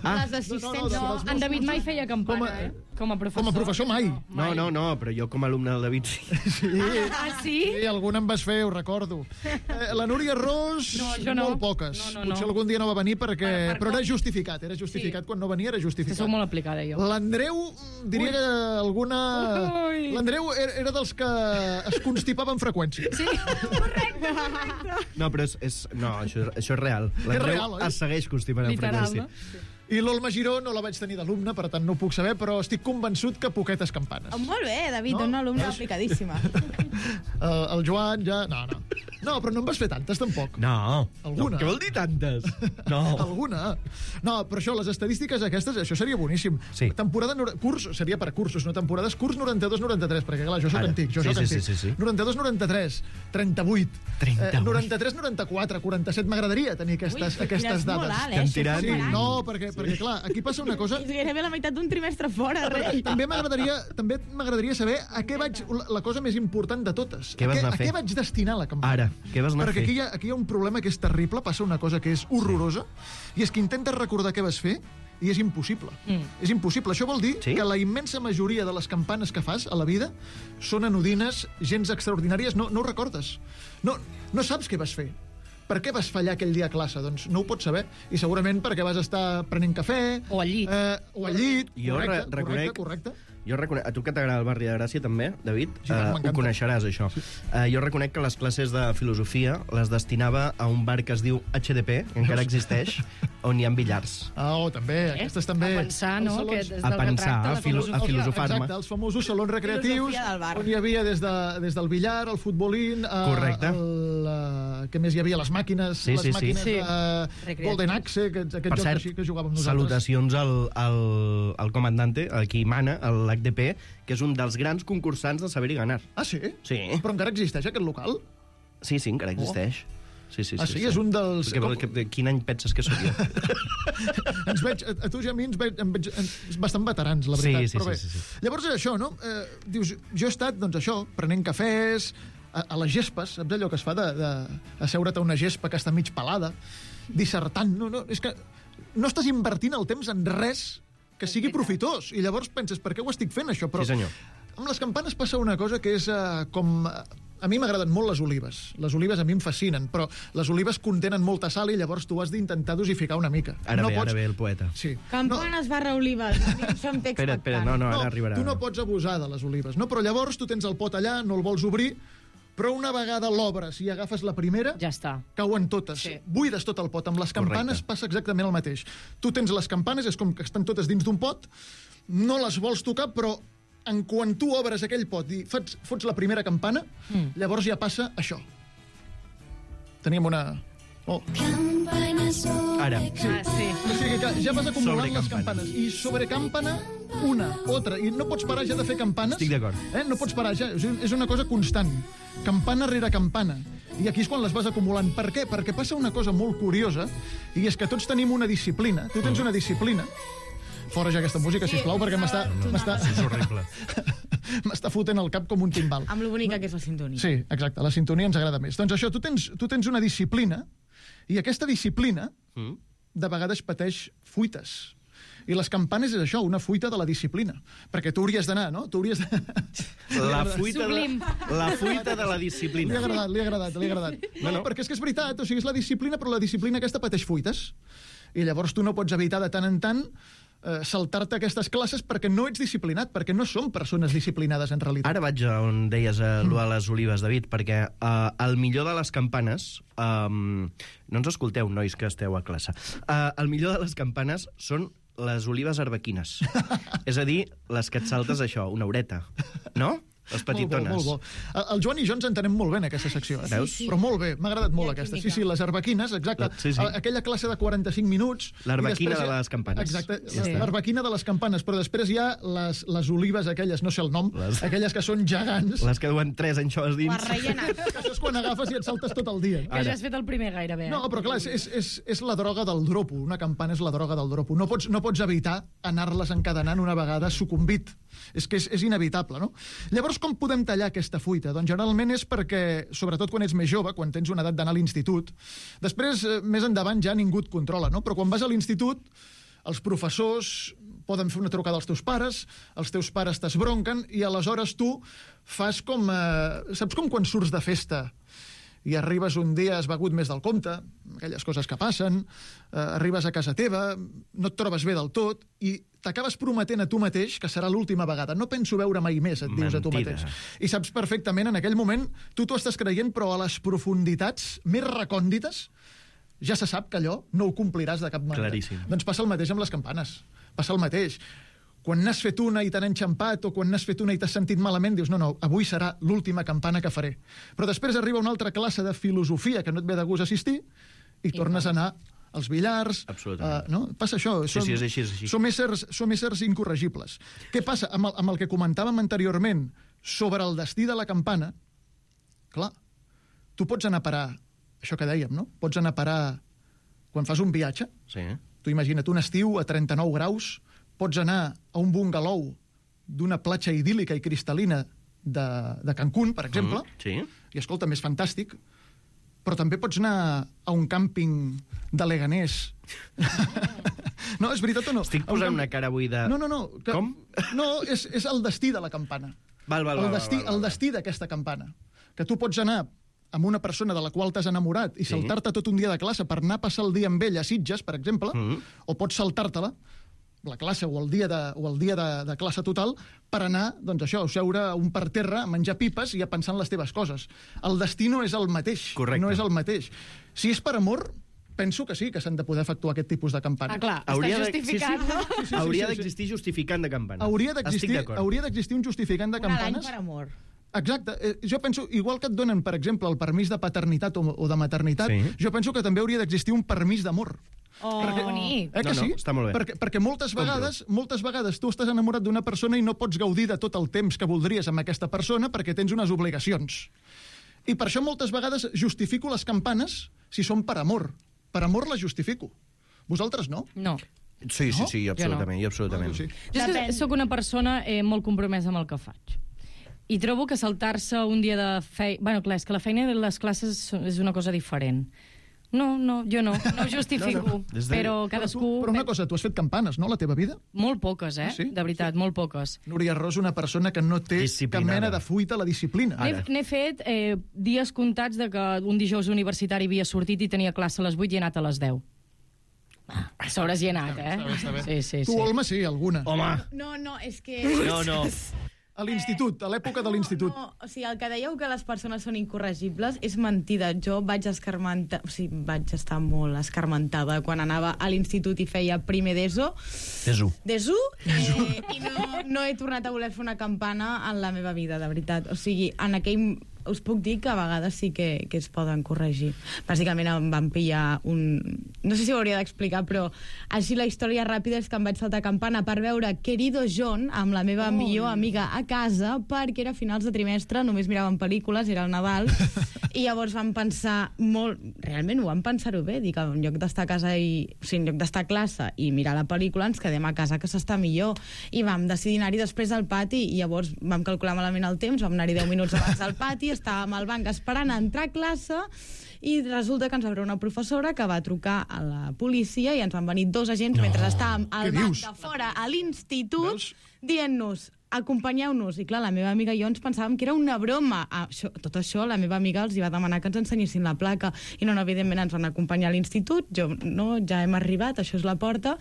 Ah. Les assistents, No, no, no. no, En David mai feia campana, Com a- eh? Com a professor. Com a professor mai. No, no, no, però jo com a alumne del David sí. Sí. Ah, sí? Sí, alguna en vas fer, ho recordo. Eh, la Núria Ros, No, jo no. molt poques. No, no, no. Potser algun dia no va venir perquè... Per- per però era com? justificat, era justificat. Sí. Quan no venia era Que justificat. sou molt aplicada, jo. L'Andreu, diria que alguna... Ui. L'Andreu era, era dels que es constipava amb freqüència. Sí, correcte, correcte. No, però és... és no, això, això és real. real, L'Andreu oi? es segueix constipant amb Literal, freqüència. no? I l'Olma Giró no la vaig tenir d'alumne, per tant no ho puc saber, però estic convençut que poquetes campanes. Oh, molt bé, David, No? una alumna És- aplicadíssima. El, el Joan ja... No, no. No, però no en vas fer tantes, tampoc. No. Alguna. No, què vol dir tantes? No. Alguna. No, però això, les estadístiques aquestes, això seria boníssim. Sí. Temporada... nor- Curs, seria per cursos, no temporades. Curs noranta-dos noranta-tres, perquè clar, jo soc Ara. antic, jo Sí, soc sí, antic. sí, sí, sí. noranta-dos noranta-tres, trenta-vuit. trenta-vuit. Eh, noranta-tres noranta-quatre, quaranta-set. M'agradaria tenir aquestes, Ui, aquestes és molt dades. alt, eh? Estem Això tirant. és Sí, molt alt. no, perquè, perquè clar, aquí passa una cosa... És gairebé la meitat d'un trimestre fora, rei. També m'agradaria també m'agradaria saber a què vaig... La, la cosa més important de totes. Què vas a, què, anar a a fer? què vaig destinar la campanya? Ara, què vas anar a Perquè fer? aquí hi, ha, aquí hi ha un problema que és terrible, passa una cosa que és horrorosa, i és que intentes recordar què vas fer i és impossible. Mm. És impossible. Això vol dir Sí? que la immensa majoria de les campanes que fas a la vida són anodines, gens extraordinàries, no, no ho recordes. No, no saps què vas fer. Per què vas fallar aquell dia a classe? Doncs no ho pots saber. I segurament perquè vas estar prenent cafè... O al llit. Eh, o al llit. Jo correcte, re- reconec- correcte, correcte. Jo reconec... A tu que t'agrada el barri de Gràcia, també, David, Sí, tant, eh, m'encanta. ho coneixeràs, això. Sí. Uh, jo reconec que les classes de filosofia les destinava a un bar que es diu H D P, que encara existeix, on hi ha billars. Ah, oh, també, aquestes també. A pensar, no? Els Que salons- des A del que pensar, tracta a la filo- a filosofia. filosofar-me. Exacte, els famosos salons recreatius, Filosofia del bar. on hi havia des, de, des del billar, el futbolín, eh, Correcte. el, eh, què més hi havia? Les màquines, Sí, les sí, sí. màquines Sí. eh, Recreatius. Golden Axe, aquests, aquests Per jocs cert, així que jugàvem nosaltres. salutacions al, al, al comandante, a qui mana, l'H D P, que és un dels grans concursants de Saber i Ganar. Ah, sí? Sí. Però encara existeix aquest local? Sí, sí, encara existeix. Sí, sí, Ah, sí? És un dels- Que, com- que, que, quin any penses que sóc jo? Ens veig, a, a tu i a mi ens veig, em veig ens, bastant veterans, la Sí, veritat. sí, però bé. sí, sí, sí. Llavors és això, no? Eh, dius, jo he estat, doncs això, prenent cafès, a, a les gespes, saps allò que es fa de, de asseure't a una gespa que està mig pelada, dissertant, no, no, és que no estàs invertint el temps en res que sigui profitós, i llavors penses, per què ho estic fent, això? Però Sí, senyor. amb les campanes passa una cosa que és eh, com... A mi m'agraden molt les olives. Les olives a mi em fascinen, però les olives contenen molta sal i llavors tu has d'intentar dosificar una mica. Ara no ve, pots... ara ve el poeta. Sí. Campanes barra olives. Això em té Espera, espera, no, no, ara arribarà. Tu no pots abusar de les olives, no? Però llavors tu tens el pot allà, no el vols obrir, però una vegada l'obres i agafes la primera, Ja està. cauen totes. Sí. Buides tot el pot. Amb les campanes Correcte. passa exactament el mateix. Tu tens les campanes, és com que estan totes dins d'un pot, no les vols tocar, però en quan tu obres aquell pot i fots, fots la primera campana, mm. llavors ja passa això. Teníem una... Oh. Ara. Sí. Ah, sí. O sigui que ja vas acumulant les Sobrecampana. campanes. I sobre campana, una, altra. I no pots parar ja de fer campanes. Estic d'acord. Eh? No pots parar ja. És és una cosa constant. Campana rere campana. I aquí és quan les vas acumulant. Per què? Perquè passa una cosa molt curiosa, i és que tots tenim una disciplina. Tu tens una disciplina. Fora ja aquesta música, sisplau, perquè m'està... m'està És horrible. m'està fotent el cap com un timbal. Amb lo bonica que és la sintonia. Sí, exacte, la sintonia ens agrada més. Doncs això, tu tens, tu tens una disciplina, i aquesta disciplina Mm. de vegades pateix fuites. I les campanes és això, una fuita de la disciplina. Perquè tu hauries d'anar, no? Tu hauries de... La fuita, de, Sublim. la fuita de la Li ha disciplina. agradat, li ha agradat, li ha agradat. No, no, perquè és que és veritat, o sigui, és la disciplina, però la disciplina aquesta pateix fuites. I llavors tu no pots evitar de tant en tant eh, saltar-te aquestes classes perquè no ets disciplinat, perquè no som persones disciplinades en realitat. Ara vaig a on deies eh, mm. a les olives, David, perquè eh, el millor de les campanes... Eh, no ens escolteu, nois, que esteu a classe. Eh, el millor de les campanes són les olives arbequines. És a dir, les que et saltes això, una horeta. No? Les petitones. Molt bo, molt bo. El Joan i jo ens entenem molt bé en aquesta secció. Eh? Veus? Però molt bé, m'ha agradat molt aquesta. Sí, sí, les arbequines, exacte. Sí, sí. Aquella classe de quaranta-cinc minuts... L'arbequina després... de les campanes. Exacte, Sí. l'arbequina de les campanes, però després hi ha les, les olives aquelles, no sé el nom, Les- aquelles que són gegants. Les que duen tres anxoves dins. Les rellenes. Que això és quan agafes i et saltes tot el dia. Que ja has fet el primer gairebé. No, però clar, és, és, és, és la droga del dropo. Una campana és la droga del dropo. No pots, no pots evitar anar-les encadenant una vegada sucumbit. És que és, és inevitable, no? Llavors, com podem tallar aquesta fuita? Doncs generalment és perquè, sobretot quan ets més jove, quan tens una edat d'anar a l'institut, després, eh, més endavant, ja ningú et controla, no? Però quan vas a l'institut, els professors poden fer una trucada als teus pares, els teus pares t'esbronquen, i aleshores tu fas com... Eh, saps com quan surts de festa i arribes un dia, has begut més del compte, aquelles coses que passen, eh, arribes a casa teva, no et trobes bé del tot, i t'acabes prometent a tu mateix que serà l'última vegada. No penso veure mai més, et dius a tu Mentida. mateix. I saps perfectament, en aquell moment, tu t'ho estàs creient, però a les profunditats més recòndites ja se sap que allò no ho compliràs de cap manera. Claríssim. Doncs passa el mateix amb les campanes. Passa el mateix. Quan n'has fet una i t'han enxampat, o quan n'has fet una i t'has sentit malament, dius, no, no, avui serà l'última campana que faré. Però després arriba una altra classe de filosofia que no et ve de gust assistir i, I tornes a anar als billars... Absolutament. Uh, no? Passa això. Sí, som, sí, és així, és així. Som éssers, som éssers incorregibles. Què passa? Amb el, amb el que comentàvem anteriorment sobre el destí de la campana, clar, tu pots anar a parar, això que dèiem, no? Pots anar a parar quan fas un viatge. Sí. Tu imagina't un estiu a trenta-nou graus, pots anar a un bungalou d'una platja idíl·lica i cristal·lina de, de Cancún, per exemple, Mm, sí. i escolta, més fantàstic, però també pots anar a un càmping de Leganés. No, és veritat o no? Estic A un posant camp- una cara avui de... No, no, no. Que... Com? No, és, és el destí de la campana. Val, val, val, el destí, val, val, val. el destí d'aquesta campana. Que tu pots anar amb una persona de la qual t'has enamorat i Sí. saltar-te tot un dia de classe per anar a passar el dia amb ell a Sitges, per exemple, Mm. o pots saltar-te-la, la classe o el dia de, o el dia de, de classe total, per anar, doncs això, a seure un per terra, a menjar pipes i a pensar en les teves coses. El destí no és el mateix. Correcte. No és el mateix. Si és per amor, penso que sí, que s'han de poder efectuar aquest tipus de campana. Ah, clar, Hauria està de- justificat, sí, sí. no? Sí, sí, Hauria sí, sí. d'existir justificant de campana. Hauria Estic d'existir d'acord. hauria d'existir un justificant de Un a l'any campanes. per amor. Exacte. Eh, jo penso, igual que et donen, per exemple, el permís de paternitat o, o de maternitat, Sí. jo penso que també hauria d'existir un permís d'amor. Oh, Que bonic. Eh que No, no, sí? està molt bé. Perquè, perquè moltes vegades, moltes vegades tu estàs enamorat d'una persona i no pots gaudir de tot el temps que voldries amb aquesta persona perquè tens unes obligacions. I per això moltes vegades justifico les campanes si són per amor. Per amor les justifico. Vosaltres no? No. Sí, sí, No? sí, absolutament, i absolutament. Sí. Jo és que Depèn. sóc una persona eh, molt compromesa amb el que faig. I trobo que saltar-se un dia de feina... Bueno, clar, és que la feina i les classes són- és una cosa diferent. No, no, jo no, no ho justifico, No, no. Des de- però Però, tu, cadascú... però una cosa, tu has fet campanes, no, a la teva vida? Molt poques, eh? Ah, sí? De veritat, molt poques. Núria Ros, una persona que no té cap Disciplinada. mena de fuita a la disciplina. N'he n'he fet eh, dies comptats de que un dijous universitari havia sortit i tenia classe a les vuit i he anat a les deu. A sobres hi he anat, eh? Sí, sí, Tu, sí. Olma, sí, alguna. Home, No, no, és que... no, no. A l'institut, a l'època de l'institut. No, o sigui, el que dèieu que les persones són incorregibles és mentida. Jo vaig escarmentar, o sigui, vaig estar molt escarmentada quan anava a l'institut i feia primer d'ESO. Desu. D'ESO, eh, i no, no he tornat a voler fer una campana en la meva vida, de veritat. O sigui, en aquell... Us puc dir que a vegades sí que, que es poden corregir. Bàsicament em van pillar un... No sé si ho hauria d'explicar, però així la història ràpida és que em vaig saltar campana per veure Querido John amb la meva oh, millor amiga a casa, perquè era a finals de trimestre, només miràvem pel·lícules, era el Nadal, i llavors vam pensar molt... Realment ho vam pensar-ho bé, dic, en lloc d'estar a casa i... O sigui, en lloc d'estar a classe i mirar la pel·lícula, ens quedem a casa que s'està millor. I vam decidir anar-hi després al pati, i llavors vam calcular malament el temps, vam anar-hi deu minuts abans al pati, estàvem al banc esperant a entrar a classe i resulta que ens va veure una professora que va trucar a la policia i ens van venir dos agents no. mentre estàvem al Què banc dius? de fora a l'institut Veus? dient-nos acompanyeu-nos. I clar, la meva amiga i jo ens pensàvem que era una broma. Ah, això, tot això, la meva amiga els hi va demanar que ens ensenyessin la placa. I no, no, evidentment ens van acompanyar a l'institut. Jo, no, ja hem arribat, això és la porta.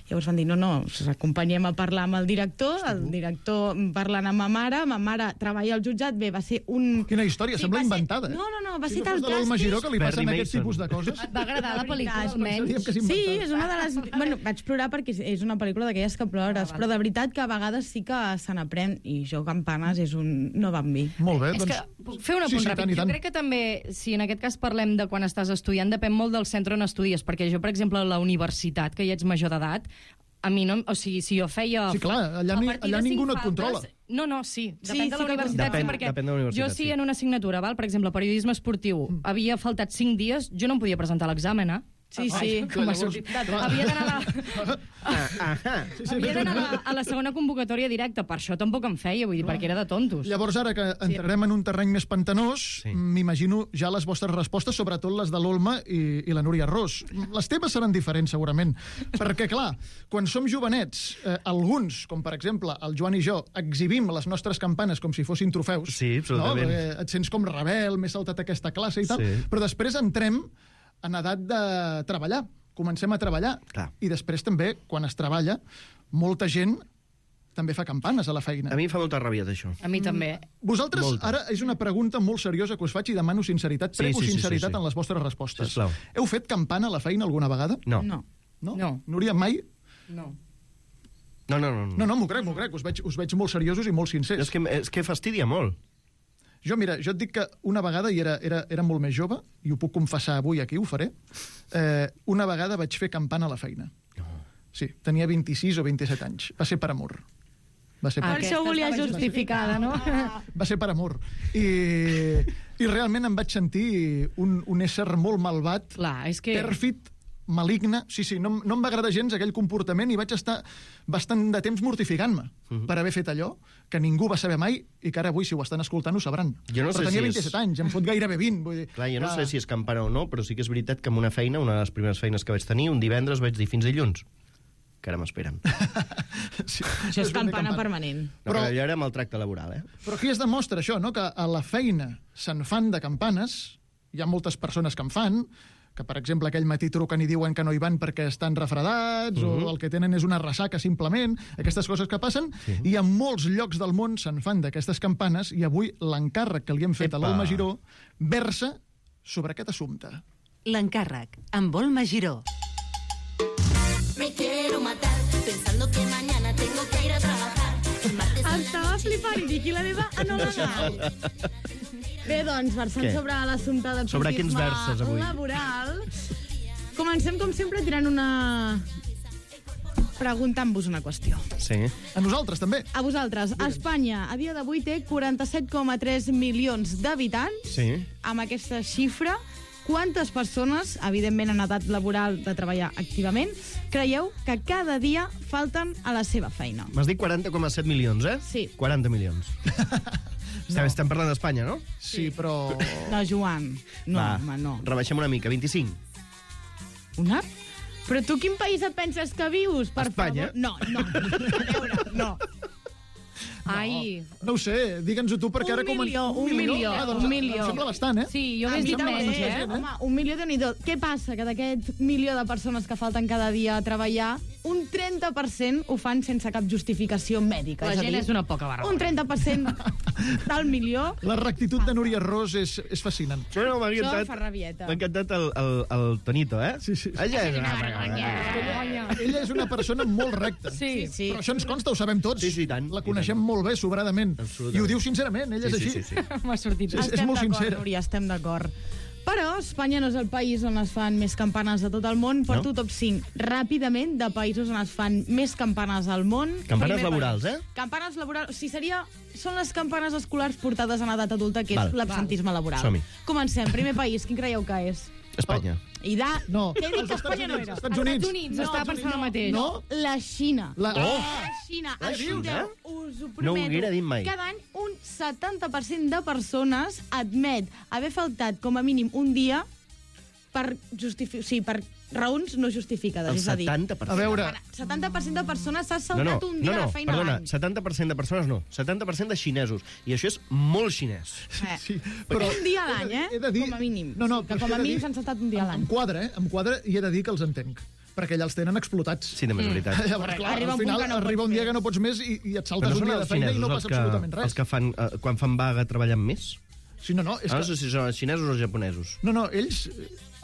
Llavors van dir, no, no, us acompanyem a parlar amb el director, el director parlant amb ma mare, ma mare treballa al jutjat, bé, va ser un... Quina història, sí, sembla inventada. Ser... No, no, no, va si ser no tal plàstic... Si no fos de l'Alma Giró que li passen Perry aquest Mason. tipus de coses... Et va agradar la pel·lícula, almenys? Sí, és una de les... Bueno, vaig plorar perquè és una pel·lícula d'aquelles que plores, però de veritat que a vegades sí que se n'aprèn, i jo Campanes és un no va amb mi. Molt bé, és doncs... que, puc fer un apunt sí, sí, ràpid. tant, Jo crec que també, si en aquest cas parlem de quan estàs estudiant, depèn molt del centre on estudies, perquè jo, per exemple, a la universitat, que ja ets major d'edat, a mi no... O sigui, si jo feia... Sí, clar, allà, ni, allà ningú no et controla. No, no, sí. Depèn sí, de la sí universitat, depèn, sí, perquè depèn de la universitat, jo sí, sí. en una assignatura, val? Per exemple, periodisme esportiu, mm. havia faltat cinc dies, jo no em podia presentar l'examen, eh? Sí, sí. Ai, com m'ha sortit. Havia d'anar a, la... Ah, ah, sí, sí, havia d'anar a, la... a la segona convocatòria directa, per això tampoc em feia, vull dir, perquè era de tontos. Llavors, ara que entrarem en un terreny més pantanós, sí. m'imagino ja les vostres respostes, sobretot les de l'Olma i, i la Núria Ros. Les teves seran diferents, segurament, perquè, clar, quan som jovenets, eh, alguns, com per exemple el Joan i jo, exhibim les nostres campanes com si fossin trofeus. Sí, absolutament. No? Eh, et sents com rebel, m'he saltat aquesta classe i tal, sí. Però després entrem en edat de treballar. Comencem a treballar. Clar. I després també, quan es treballa, molta gent també fa campanes a la feina. A mi em fa molta ràbia, d'això. A mi també. Vosaltres, Molta. ara és una pregunta molt seriosa que us faig i demano sinceritat, Sí, prego sí, sí, sinceritat sí, sí. en les vostres respostes. Sisplau. Heu fet campana a la feina alguna vegada? No. No. No? No. Núria, mai? No. No, no, no. No, no, m'ho crec, m'ho crec. Us veig, us veig molt seriosos i molt sincers. És que, és que fastidia molt. Jo, mira, jo et dic que una vegada, i era, era, era molt més jove, i ho puc confessar avui aquí, ho faré, eh, una vegada vaig fer campana a la feina. No. Sí, tenia vint-i-sis o vint-i-set anys. Va ser per amor. Va ser per, Per això ho volia justificada, no? va ser per amor. I, i realment em vaig sentir un, un ésser molt malvat, Clar, és que... pèrfid, maligne. Sí, sí, no, no em va agradar gens aquell comportament i vaig estar bastant de temps mortificant-me Mhm. per haver fet allò que ningú va saber mai i que ara avui, si ho estan escoltant, ho sabran. Jo no però sé tenia si és- vint-i-set anys, em fot gairebé vint. Vull dir, Clar, jo no que- sé si és campana o no, però sí que és veritat que en una feina, una de les primeres feines que vaig tenir, un divendres vaig dir fins dilluns, que ara m'esperen. Sí, Això és ben bé campana permanent. No, Però- però allò era maltracte laboral, eh? Però aquí es demostra això, no? Que a la feina se'n fan de campanes, hi ha moltes persones que en fan, que, per exemple, aquell matí truquen i diuen que no hi van perquè estan refredats, Mhm. o el que tenen és una ressaca, simplement, aquestes coses que passen, i en molts llocs del món se'n fan d'aquestes campanes, i avui l'encàrrec que li hem fet Epa. a l'Olma Giró versa sobre aquest assumpte. L'encàrrec, amb Olma Giró. Me quiero matar pensando que mañana tengo que ir a trabajar. El martes en la Estava flipant i dic, i la meva anomenal. Bé, doncs, versant Què? sobre l'assumpte de Sobre quins verses, avui? laboral, comencem, com sempre, tirant una... preguntant-vos una qüestió. Sí. A nosaltres, també. A vosaltres, Espanya, a dia d'avui, té quaranta-set coma tres milions d'habitants. Sí. Amb aquesta xifra, quantes persones, evidentment en edat laboral de treballar activament, creieu que cada dia falten a la seva feina? M'has dit quaranta coma set milions, eh? Sí. quaranta milions. Estem, estem parlant d'Espanya, no? Sí, però... No, Joan. No, Va, home, no. rebaixem una mica, vint-i-cinc. Una? Però tu quin país et penses que vius, per Espanya. favor? No, no. A veure, no. Ai, No ho sé, digue'ns-ho tu, perquè Un ara... com en- milió, un milió, Ah, doncs, un milió. Em sembla bastant, eh? sí, jo A hagués mi dit també, menys, eh? eh? Home, un milió de nhi Què passa? Que d'aquest milió de persones que falten cada dia a treballar, un trenta per cent ho fan sense cap justificació mèdica. La és a gent dir, és una poca barba. Un trenta per cent del milió. La rectitud de Núria Ros és, és fascinant. No, no, m'ha Això encantat. fa rabieta. M'ha encantat el, el, el Tonito, eh? Sí, sí. Ella és una Ella és una persona molt recta. Sí, sí. Però això ens consta, ho sabem tots. Sí, sí, i tant. La coneixem molt bé, sobradament. Absolutament. I ho diu sincerament, ella és Sí, així. sí, sí, sí. M'ha sortit. És- és Estem molt d'acord, sincera. Núria, estem d'acord. Però Espanya no és el país on es fan més campanes de tot el món. Porto No? top cinc ràpidament de països on es fan més campanes al món. Campanes Primer laborals, país. eh? Campanes laborals. O sigui, seria... Són les campanes escolars portades en edat adulta, que Val. és l'absentisme laboral. Som-hi. Comencem. Primer país, quin creieu que és? Espanya. I de... No, Què he dit els que Estats Espanya no Units, era? Estats Units. Estats Units, estava pensant el mateix. No? La Xina. La... Oh! La Xina. La Xina? Escolteu, us ho No ho prometo. haguera dit mai. Cada any un setanta per cent de persones admet haver faltat com a mínim un dia per justificar... Sí, per raons no justificades. El és a dir, setanta per cent. A veure... setanta per cent de persones s'ha No, saltat no, un no, dia no, de feina perdona, a l'any. setanta per cent de persones no, setanta per cent de xinesos. I això és molt xinès. Eh, Sí, però un dia a l'any, eh? he de dir- Com a mínim. No, no, que però com he a de mínim dir- s'han saltat un dia a Em l'any. quadra, eh? Em quadra i he de dir que els entenc. Perquè allà els tenen explotats. Sí, també és veritat. Llavors, clar, Arriba al un punt final que no arriba pots un dia més. que no pots més i, i et Però saltes no un són dia de els feina i xinesos no els passa que, absolutament res. els que fan, eh, quan fan vaga treballen més? Sí, no, no, és Ah, que... no sé si són els xinesos o els japonesos. No, no, ells,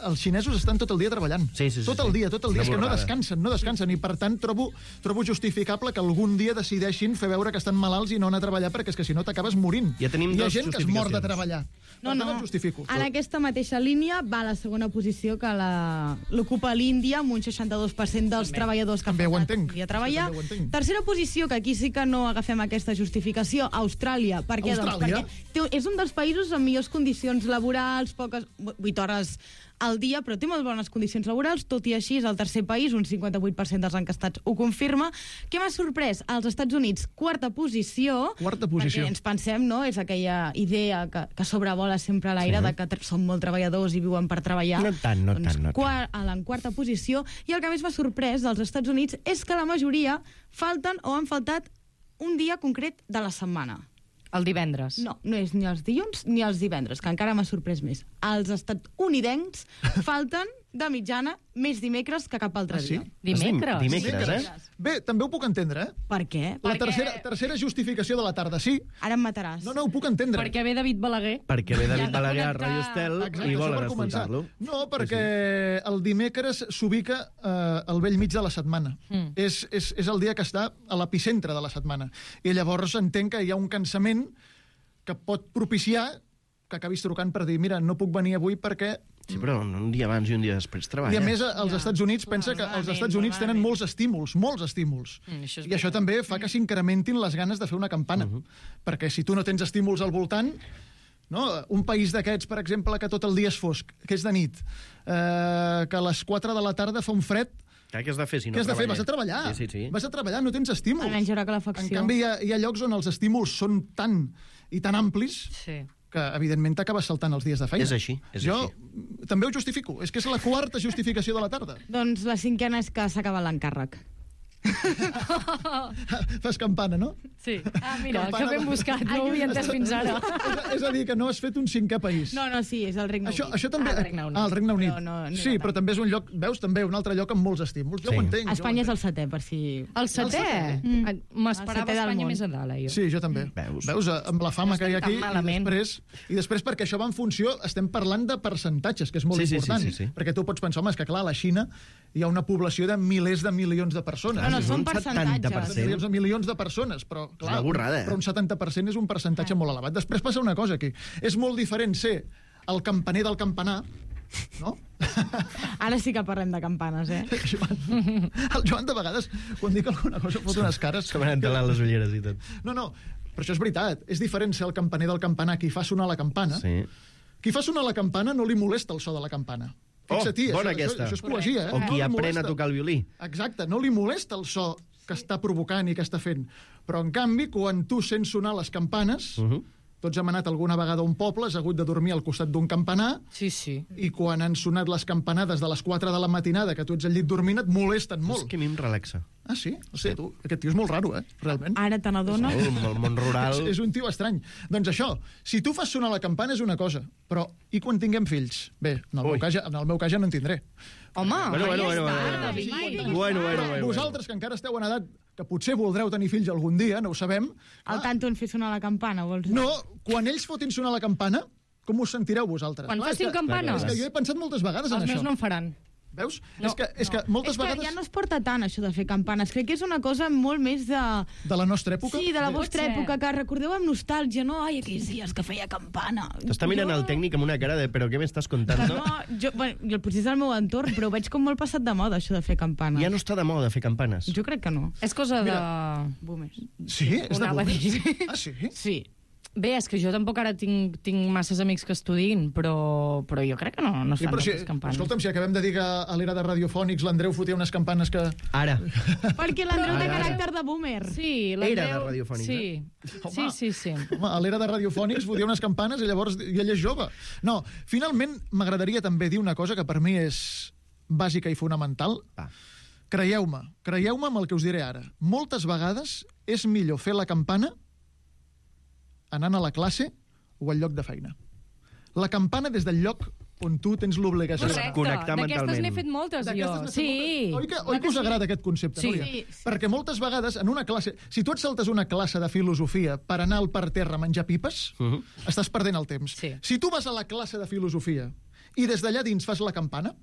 els xinesos estan tot el dia treballant. Sí, sí, sí, tot sí. el dia, tot el dia. Una És que no borrada. descansen, no descansen. I, per tant, trobo, trobo justificable que algun dia decideixin fer veure que estan malalts i no anar a treballar, perquè és que si no t'acabes morint. Ja tenim Hi ha dos gent que es mor de justificacions. treballar. No, Per tant, no. el justifico. En aquesta mateixa línia va a la segona posició que la- l'ocupa l'Índia, amb un seixanta-dos per cent dels treballadors que També ho han faltat entenc. un dia a treballar. També ho entenc. Tercera posició, que aquí sí que no agafem aquesta justificació, Austràlia. Per què? Doncs Austràlia? perquè té, és un dels països amb millors condicions laborals, poques, vuit hores al dia, però té molt bones condicions laborals, tot i així és el tercer país, un cinquanta-vuit per cent dels encastats ho confirma. Què m'ha sorprès? Als Estats Units, quarta posició, Quarta posició. perquè ens pensem, no?, és aquella idea que, que sobrevola sempre a l'aire, Sí. de que tr- són molt treballadors i viuen per treballar. No tant, no doncs, tant, no tant. Quar, a la en quarta posició, i el que més m'ha sorprès dels Estats Units és que la majoria falten o han faltat un dia concret de la setmana. El divendres. No, no és ni els dilluns ni els divendres, que encara m'ha sorprès més. Els estatunidencs falten de mitjana més dimecres que cap altre Ah, sí? dia. Dimecres. Dimecres, eh? Bé, també ho puc entendre, eh? Per què? La Perquè- tercera, tercera justificació de la tarda, sí. Ara em mataràs. No, no, ho puc entendre. Perquè ve David Balaguer. Perquè ve I David han de Balaguer a connectar- Radio Estel Exacte, i això volen per començar. escoltar-lo. No, perquè el dimecres s'ubica eh, al vell mig de la setmana. Mm. És, és, és el dia que està a l'epicentre de la setmana. I llavors entenc que hi ha un cansament que pot propiciar que acabis trucant per dir, mira, no puc venir avui perquè... Sí, però un dia abans i un dia després treballa. I a més, als Estats Units, pensa que els Estats Units tenen molts estímuls, molts estímuls. Mm, això és I això també fa que s'incrementin les ganes de fer una campana. Uh-huh. Perquè si tu no tens estímuls al voltant, no? Un país d'aquests, per exemple, que tot el dia és fosc, que és de nit, eh, que a les quatre de la tarda fa un fred, Clar, què has de fer si no què has de fer? treballes? Vas a treballar. Sí, sí, sí. Vas a treballar, no tens estímuls. Almenys hi haurà calefacció. En canvi, hi ha, hi ha llocs on els estímuls són tan i tan amplis Sí. que, evidentment, t'acabes saltant els dies de feina. És així, és jo així. també ho justifico. És que és la quarta justificació de la tarda. Doncs la cinquena és que s'ha acabat l'encàrrec. Fas campana, no? Sí. Ah, mira, Campana que ben de- buscat, no ho havia entès fins ara. és, a, és a dir, que no has fet un cinquè país. No, no, sí, és el Regne Això, Unit. això també... Ah, el Regne Unit. Ah, el Regne Unit. Però no- no sí, era però tant. també és un lloc, veus, també un altre lloc amb molts estímuls. Jo Sí. ho entenc. jo ho Espanya és el entenc. setè, per si... El setè? Mm. Ah, M'esperava El setè del Espanya món. més a dalt, eh, jo. Sí, jo també. Veus? Veus, eh, amb la fama No que hi ha estem aquí, tan i malament. després, i després perquè això va en funció, estem parlant de percentatges, que és molt Sí, sí, sí, important. sí, sí. Perquè tu pots pensar, home, és que clar, a la Xina hi ha una població de milers de milions de persones. No, no, és són un setanta per percentatges. cent. Milions de milions de persones, però clar, una borrada, eh? però un setanta per cent és un percentatge molt elevat. Després passa una cosa aquí. És molt diferent ser el campaner del campanar, no? Ara sí que parlem de campanes, eh? Joan, el Joan de vegades, quan dic alguna cosa, fot unes cares... Que m'han entelat les ulleres i tot. No, no, però això és veritat. És diferent ser el campaner del campanar, qui fa sonar la campana. Sí. Qui fa sonar la campana no li molesta el so de la campana. Oh, Fixa-t'hi, bona això, aquesta. això, això és poesia, eh? O qui No li aprèn a molesta. tocar el violí. Exacte, no li molesta el so que està provocant i que està fent. Però, en canvi, quan tu sents sonar les campanes, uh -huh. tots hem anat alguna vegada a un poble, has hagut de dormir al costat d'un campanar, Sí, sí. i quan han sonat les campanades de les quatre de la matinada, que tu ets al llit dormint, et molesten És molt. que a mi em relaxa. Ah, sí? O sigui, tu, aquest tio és molt raro, eh? Realment. Ara te n'adones? El, el món rural... És, és un tio estrany. Doncs això, si tu fas sonar la campana és una cosa, però i quan tinguem fills? Bé, en el, meu cas, ja- en el meu cas ja no en tindré. Home, Bueno, bueno, ja bueno, està, bueno, David. bueno, bueno, bueno, bueno. Vosaltres, que encara esteu en edat que potser voldreu tenir fills algun dia, no ho sabem, Al tanto en fer sonar la campana, vols dir? no, quan ells fotin sonar la campana, com us sentireu vosaltres? Quan Clar, és facin que- campanes. És que jo he pensat moltes vegades en Els meus això. no en faran. Veus? No, és que, és que moltes és que vegades... ja no es porta tant, això de fer campanes. Crec que és una cosa molt més de... De la nostra època? Sí, de la Pot vostra ser. època, que recordeu amb nostàlgia, no? Ai, aquells dies que feia campana. T'està mirant Jo- el tècnic amb una cara de però què m'estàs contando? No, jo, bueno, jo potser és el meu entorn, però ho veig com molt passat de moda, això de fer campanes. Ja no està de moda fer campanes. Jo crec que no. És cosa de... Boomers. Sí? És Ho de anava a boomers? dir. Ah, sí? Sí. Bé, és que jo tampoc ara tinc, tinc masses amics que estudin, però, però jo crec que no, no es Sí, fan però si, moltes campanes. escolta'm, si acabem de dir que a l'era de radiofònics l'Andreu fotia unes campanes que... Ara. Perquè l'Andreu té Ara, ara. caràcter de boomer. Sí, Era de l'Andreu... radiofònics, Sí, sí, sí, sí. Home, a l'era de radiofònics fotia unes campanes i llavors i ell és jove. No, finalment m'agradaria també dir una cosa que per mi és bàsica i fonamental. Ah. Creieu-me, creieu-me amb el que us diré ara. Moltes vegades és millor fer la campana anant a la classe o al lloc de feina. La campana des del lloc on tu tens l'obligació Correcte. d'anar. Connectar D'aquestes mentalment. n'he fet moltes, jo. D'aquestes n'he fet Sí. moltes. Oi que, oi que us agrada aquest concepte, Sí. Núria? Sí, Perquè moltes vegades en una classe... Si tu et saltes una classe de filosofia per anar al parterre a menjar pipes, uh -huh. estàs perdent el temps. Sí. Si tu vas a la classe de filosofia i des d'allà dins fas la campana,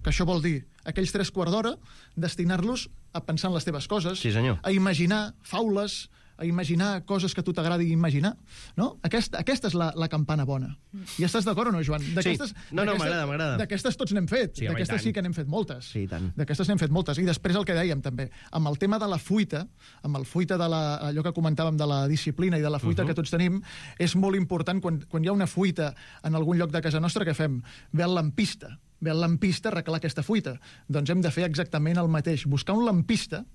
que això vol dir aquells tres quarts d'hora, destinar-los a pensar en les teves coses, Sí, senyor. a imaginar faules, a imaginar coses que a tu t'agradi imaginar, no? Aquesta, aquesta és la, la campana bona. I estàs d'acord o no, Joan? D'aquestes- Sí. No, no, d'aquestes- m'agrada, m'agrada. D'aquestes tots n'hem fet. Sí, home, i D'aquestes tant. sí que n'hem fet moltes. Sí, i tant. D'aquestes n'hem fet moltes. I després el que dèiem, també, amb el tema de la fuita, amb el fuita de la, allò que comentàvem de la disciplina i de la fuita uh -huh. que tots tenim, és molt important, quan, quan hi ha una fuita en algun lloc de casa nostra, què fem? Ve el lampista. Ve el lampista a arreglar aquesta fuita. Doncs hem de fer exactament el mateix. Buscar un lampista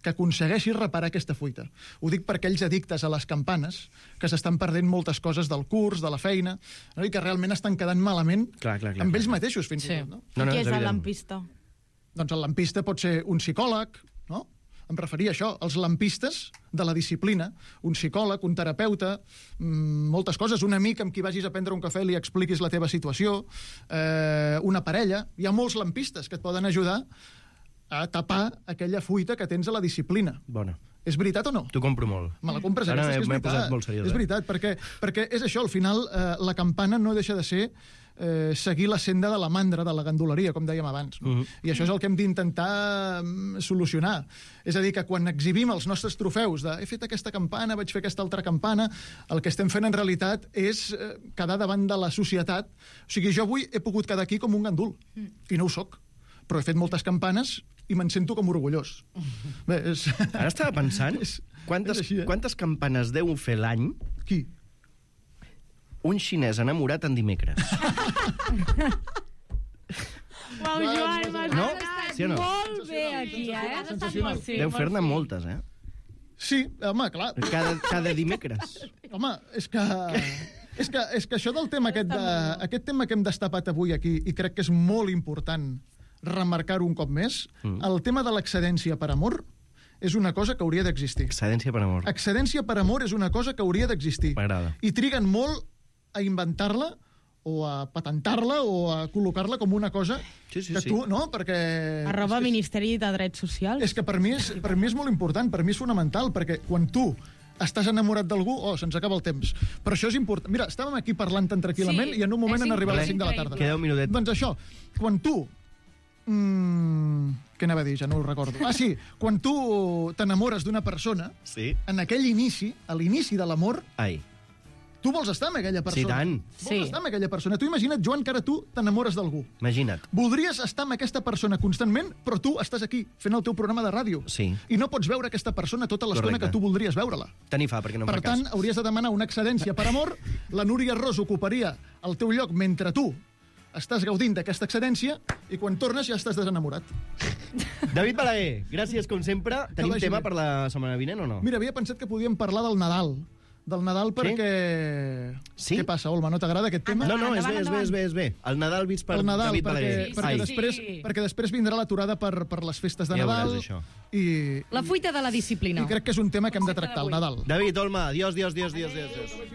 que aconsegueixi reparar aquesta fuita. Ho dic per aquells addictes a les campanes que s'estan perdent moltes coses del curs, de la feina, no? I que realment estan quedant malament Clar, clar, clar, amb clar. ells mateixos, fins Sí. i tot. No? No, no, Qui és és el evident. lampista? Doncs el lampista pot ser un psicòleg, no? Em referia a això, els lampistes de la disciplina, un psicòleg, un terapeuta, mmm, moltes coses, un amic amb qui vagis a prendre un cafè i li expliquis la teva situació, eh, una parella. Hi ha molts lampistes que et poden ajudar a tapar aquella fuita que tens a la disciplina. Bona. És veritat o no? T'ho compro molt. Me la compres, Ara aquesta, és que és m'he veritat. posat molt seriós. És eh? veritat, perquè, perquè és això, al final, eh, la campana no deixa de ser eh, seguir la senda de la mandra, de la ganduleria, com dèiem abans. No? Mhm. I això és el que hem d'intentar mm, solucionar. És a dir, que quan exhibim els nostres trofeus de he fet aquesta campana, vaig fer aquesta altra campana, el que estem fent en realitat és eh, quedar davant de la societat. O sigui, jo avui he pogut quedar aquí com un gandul, i no ho soc, però he fet moltes campanes i me'n sento com orgullós. Bé, és... Ara estava pensant És- quantes, és així, eh? quantes campanes deu fer l'any Qui? un xinès enamorat en dimecres. Uau, Joan, m'has No? estat Sí o no? molt bé aquí, eh? Sensacional. Sí, Deu molt fer-ne sí. moltes, eh? Sí, home, clar. Cada, cada dimecres. Home, és que... És que, és que això del tema aquest, de, aquest tema que hem destapat avui aquí, i crec que és molt important remarcar-ho un cop més, mm. el tema de l'excedència per amor és una cosa que hauria d'existir. Excedència per amor. Excedència per amor és una cosa que hauria d'existir. M'agrada. I triguen molt a inventar-la o a patentar-la o a col·locar-la com una cosa Sí, sí, que sí. tu, no? Perquè... Arroba és, que- Ministeri de Drets Socials. és que per mi és, per mi és molt important, per mi és fonamental, perquè quan tu estàs enamorat d'algú, oh, se'ns acaba el temps. Però això és important. Mira, estàvem aquí parlant tan tranquil·lament Sí, i en un moment és han arribat a les increïble. cinc de la tarda. Queda un minutet. Doncs això, quan tu... Mm, què anava a dir? Ja no ho recordo. Ah, sí, quan tu t'enamores d'una persona, Sí. en aquell inici, a l'inici de l'amor, Ai. tu vols estar amb aquella persona. Sí, tant. Vols Sí. estar amb aquella persona. Tu imagina't, Joan, que ara tu t'enamores d'algú. Imagina't. Voldries estar amb aquesta persona constantment, però tu estàs aquí, fent el teu programa de ràdio. Sí. I no pots veure aquesta persona tota l'estona Correcte. que tu voldries veure-la. Tenir fa, perquè no em Per fa cas. tant, hauries de demanar una excedència per amor, la Núria Ros ocuparia el teu lloc mentre tu estàs gaudint d'aquesta excedència i quan tornes ja estàs desenamorat. David Balaguer, gràcies com sempre. Tenim vagi tema bé. per la setmana vinent o no? Mira, havia pensat que podíem parlar del Nadal. Del Nadal perquè... Sí? Què passa, Olma? No t'agrada aquest tema? No, no, és bé, Endavant, és bé, és bé, és bé. El Nadal vist per el Nadal, David perquè, Balaguer. perquè, Ai, després, Sí. perquè després vindrà l'aturada per, per les festes de Ja Nadal. veuràs, això. I, La fuita de la disciplina. I crec que és un tema que hem de tractar, el Nadal. David, Olma, adiós, adiós, adiós, adiós, adiós.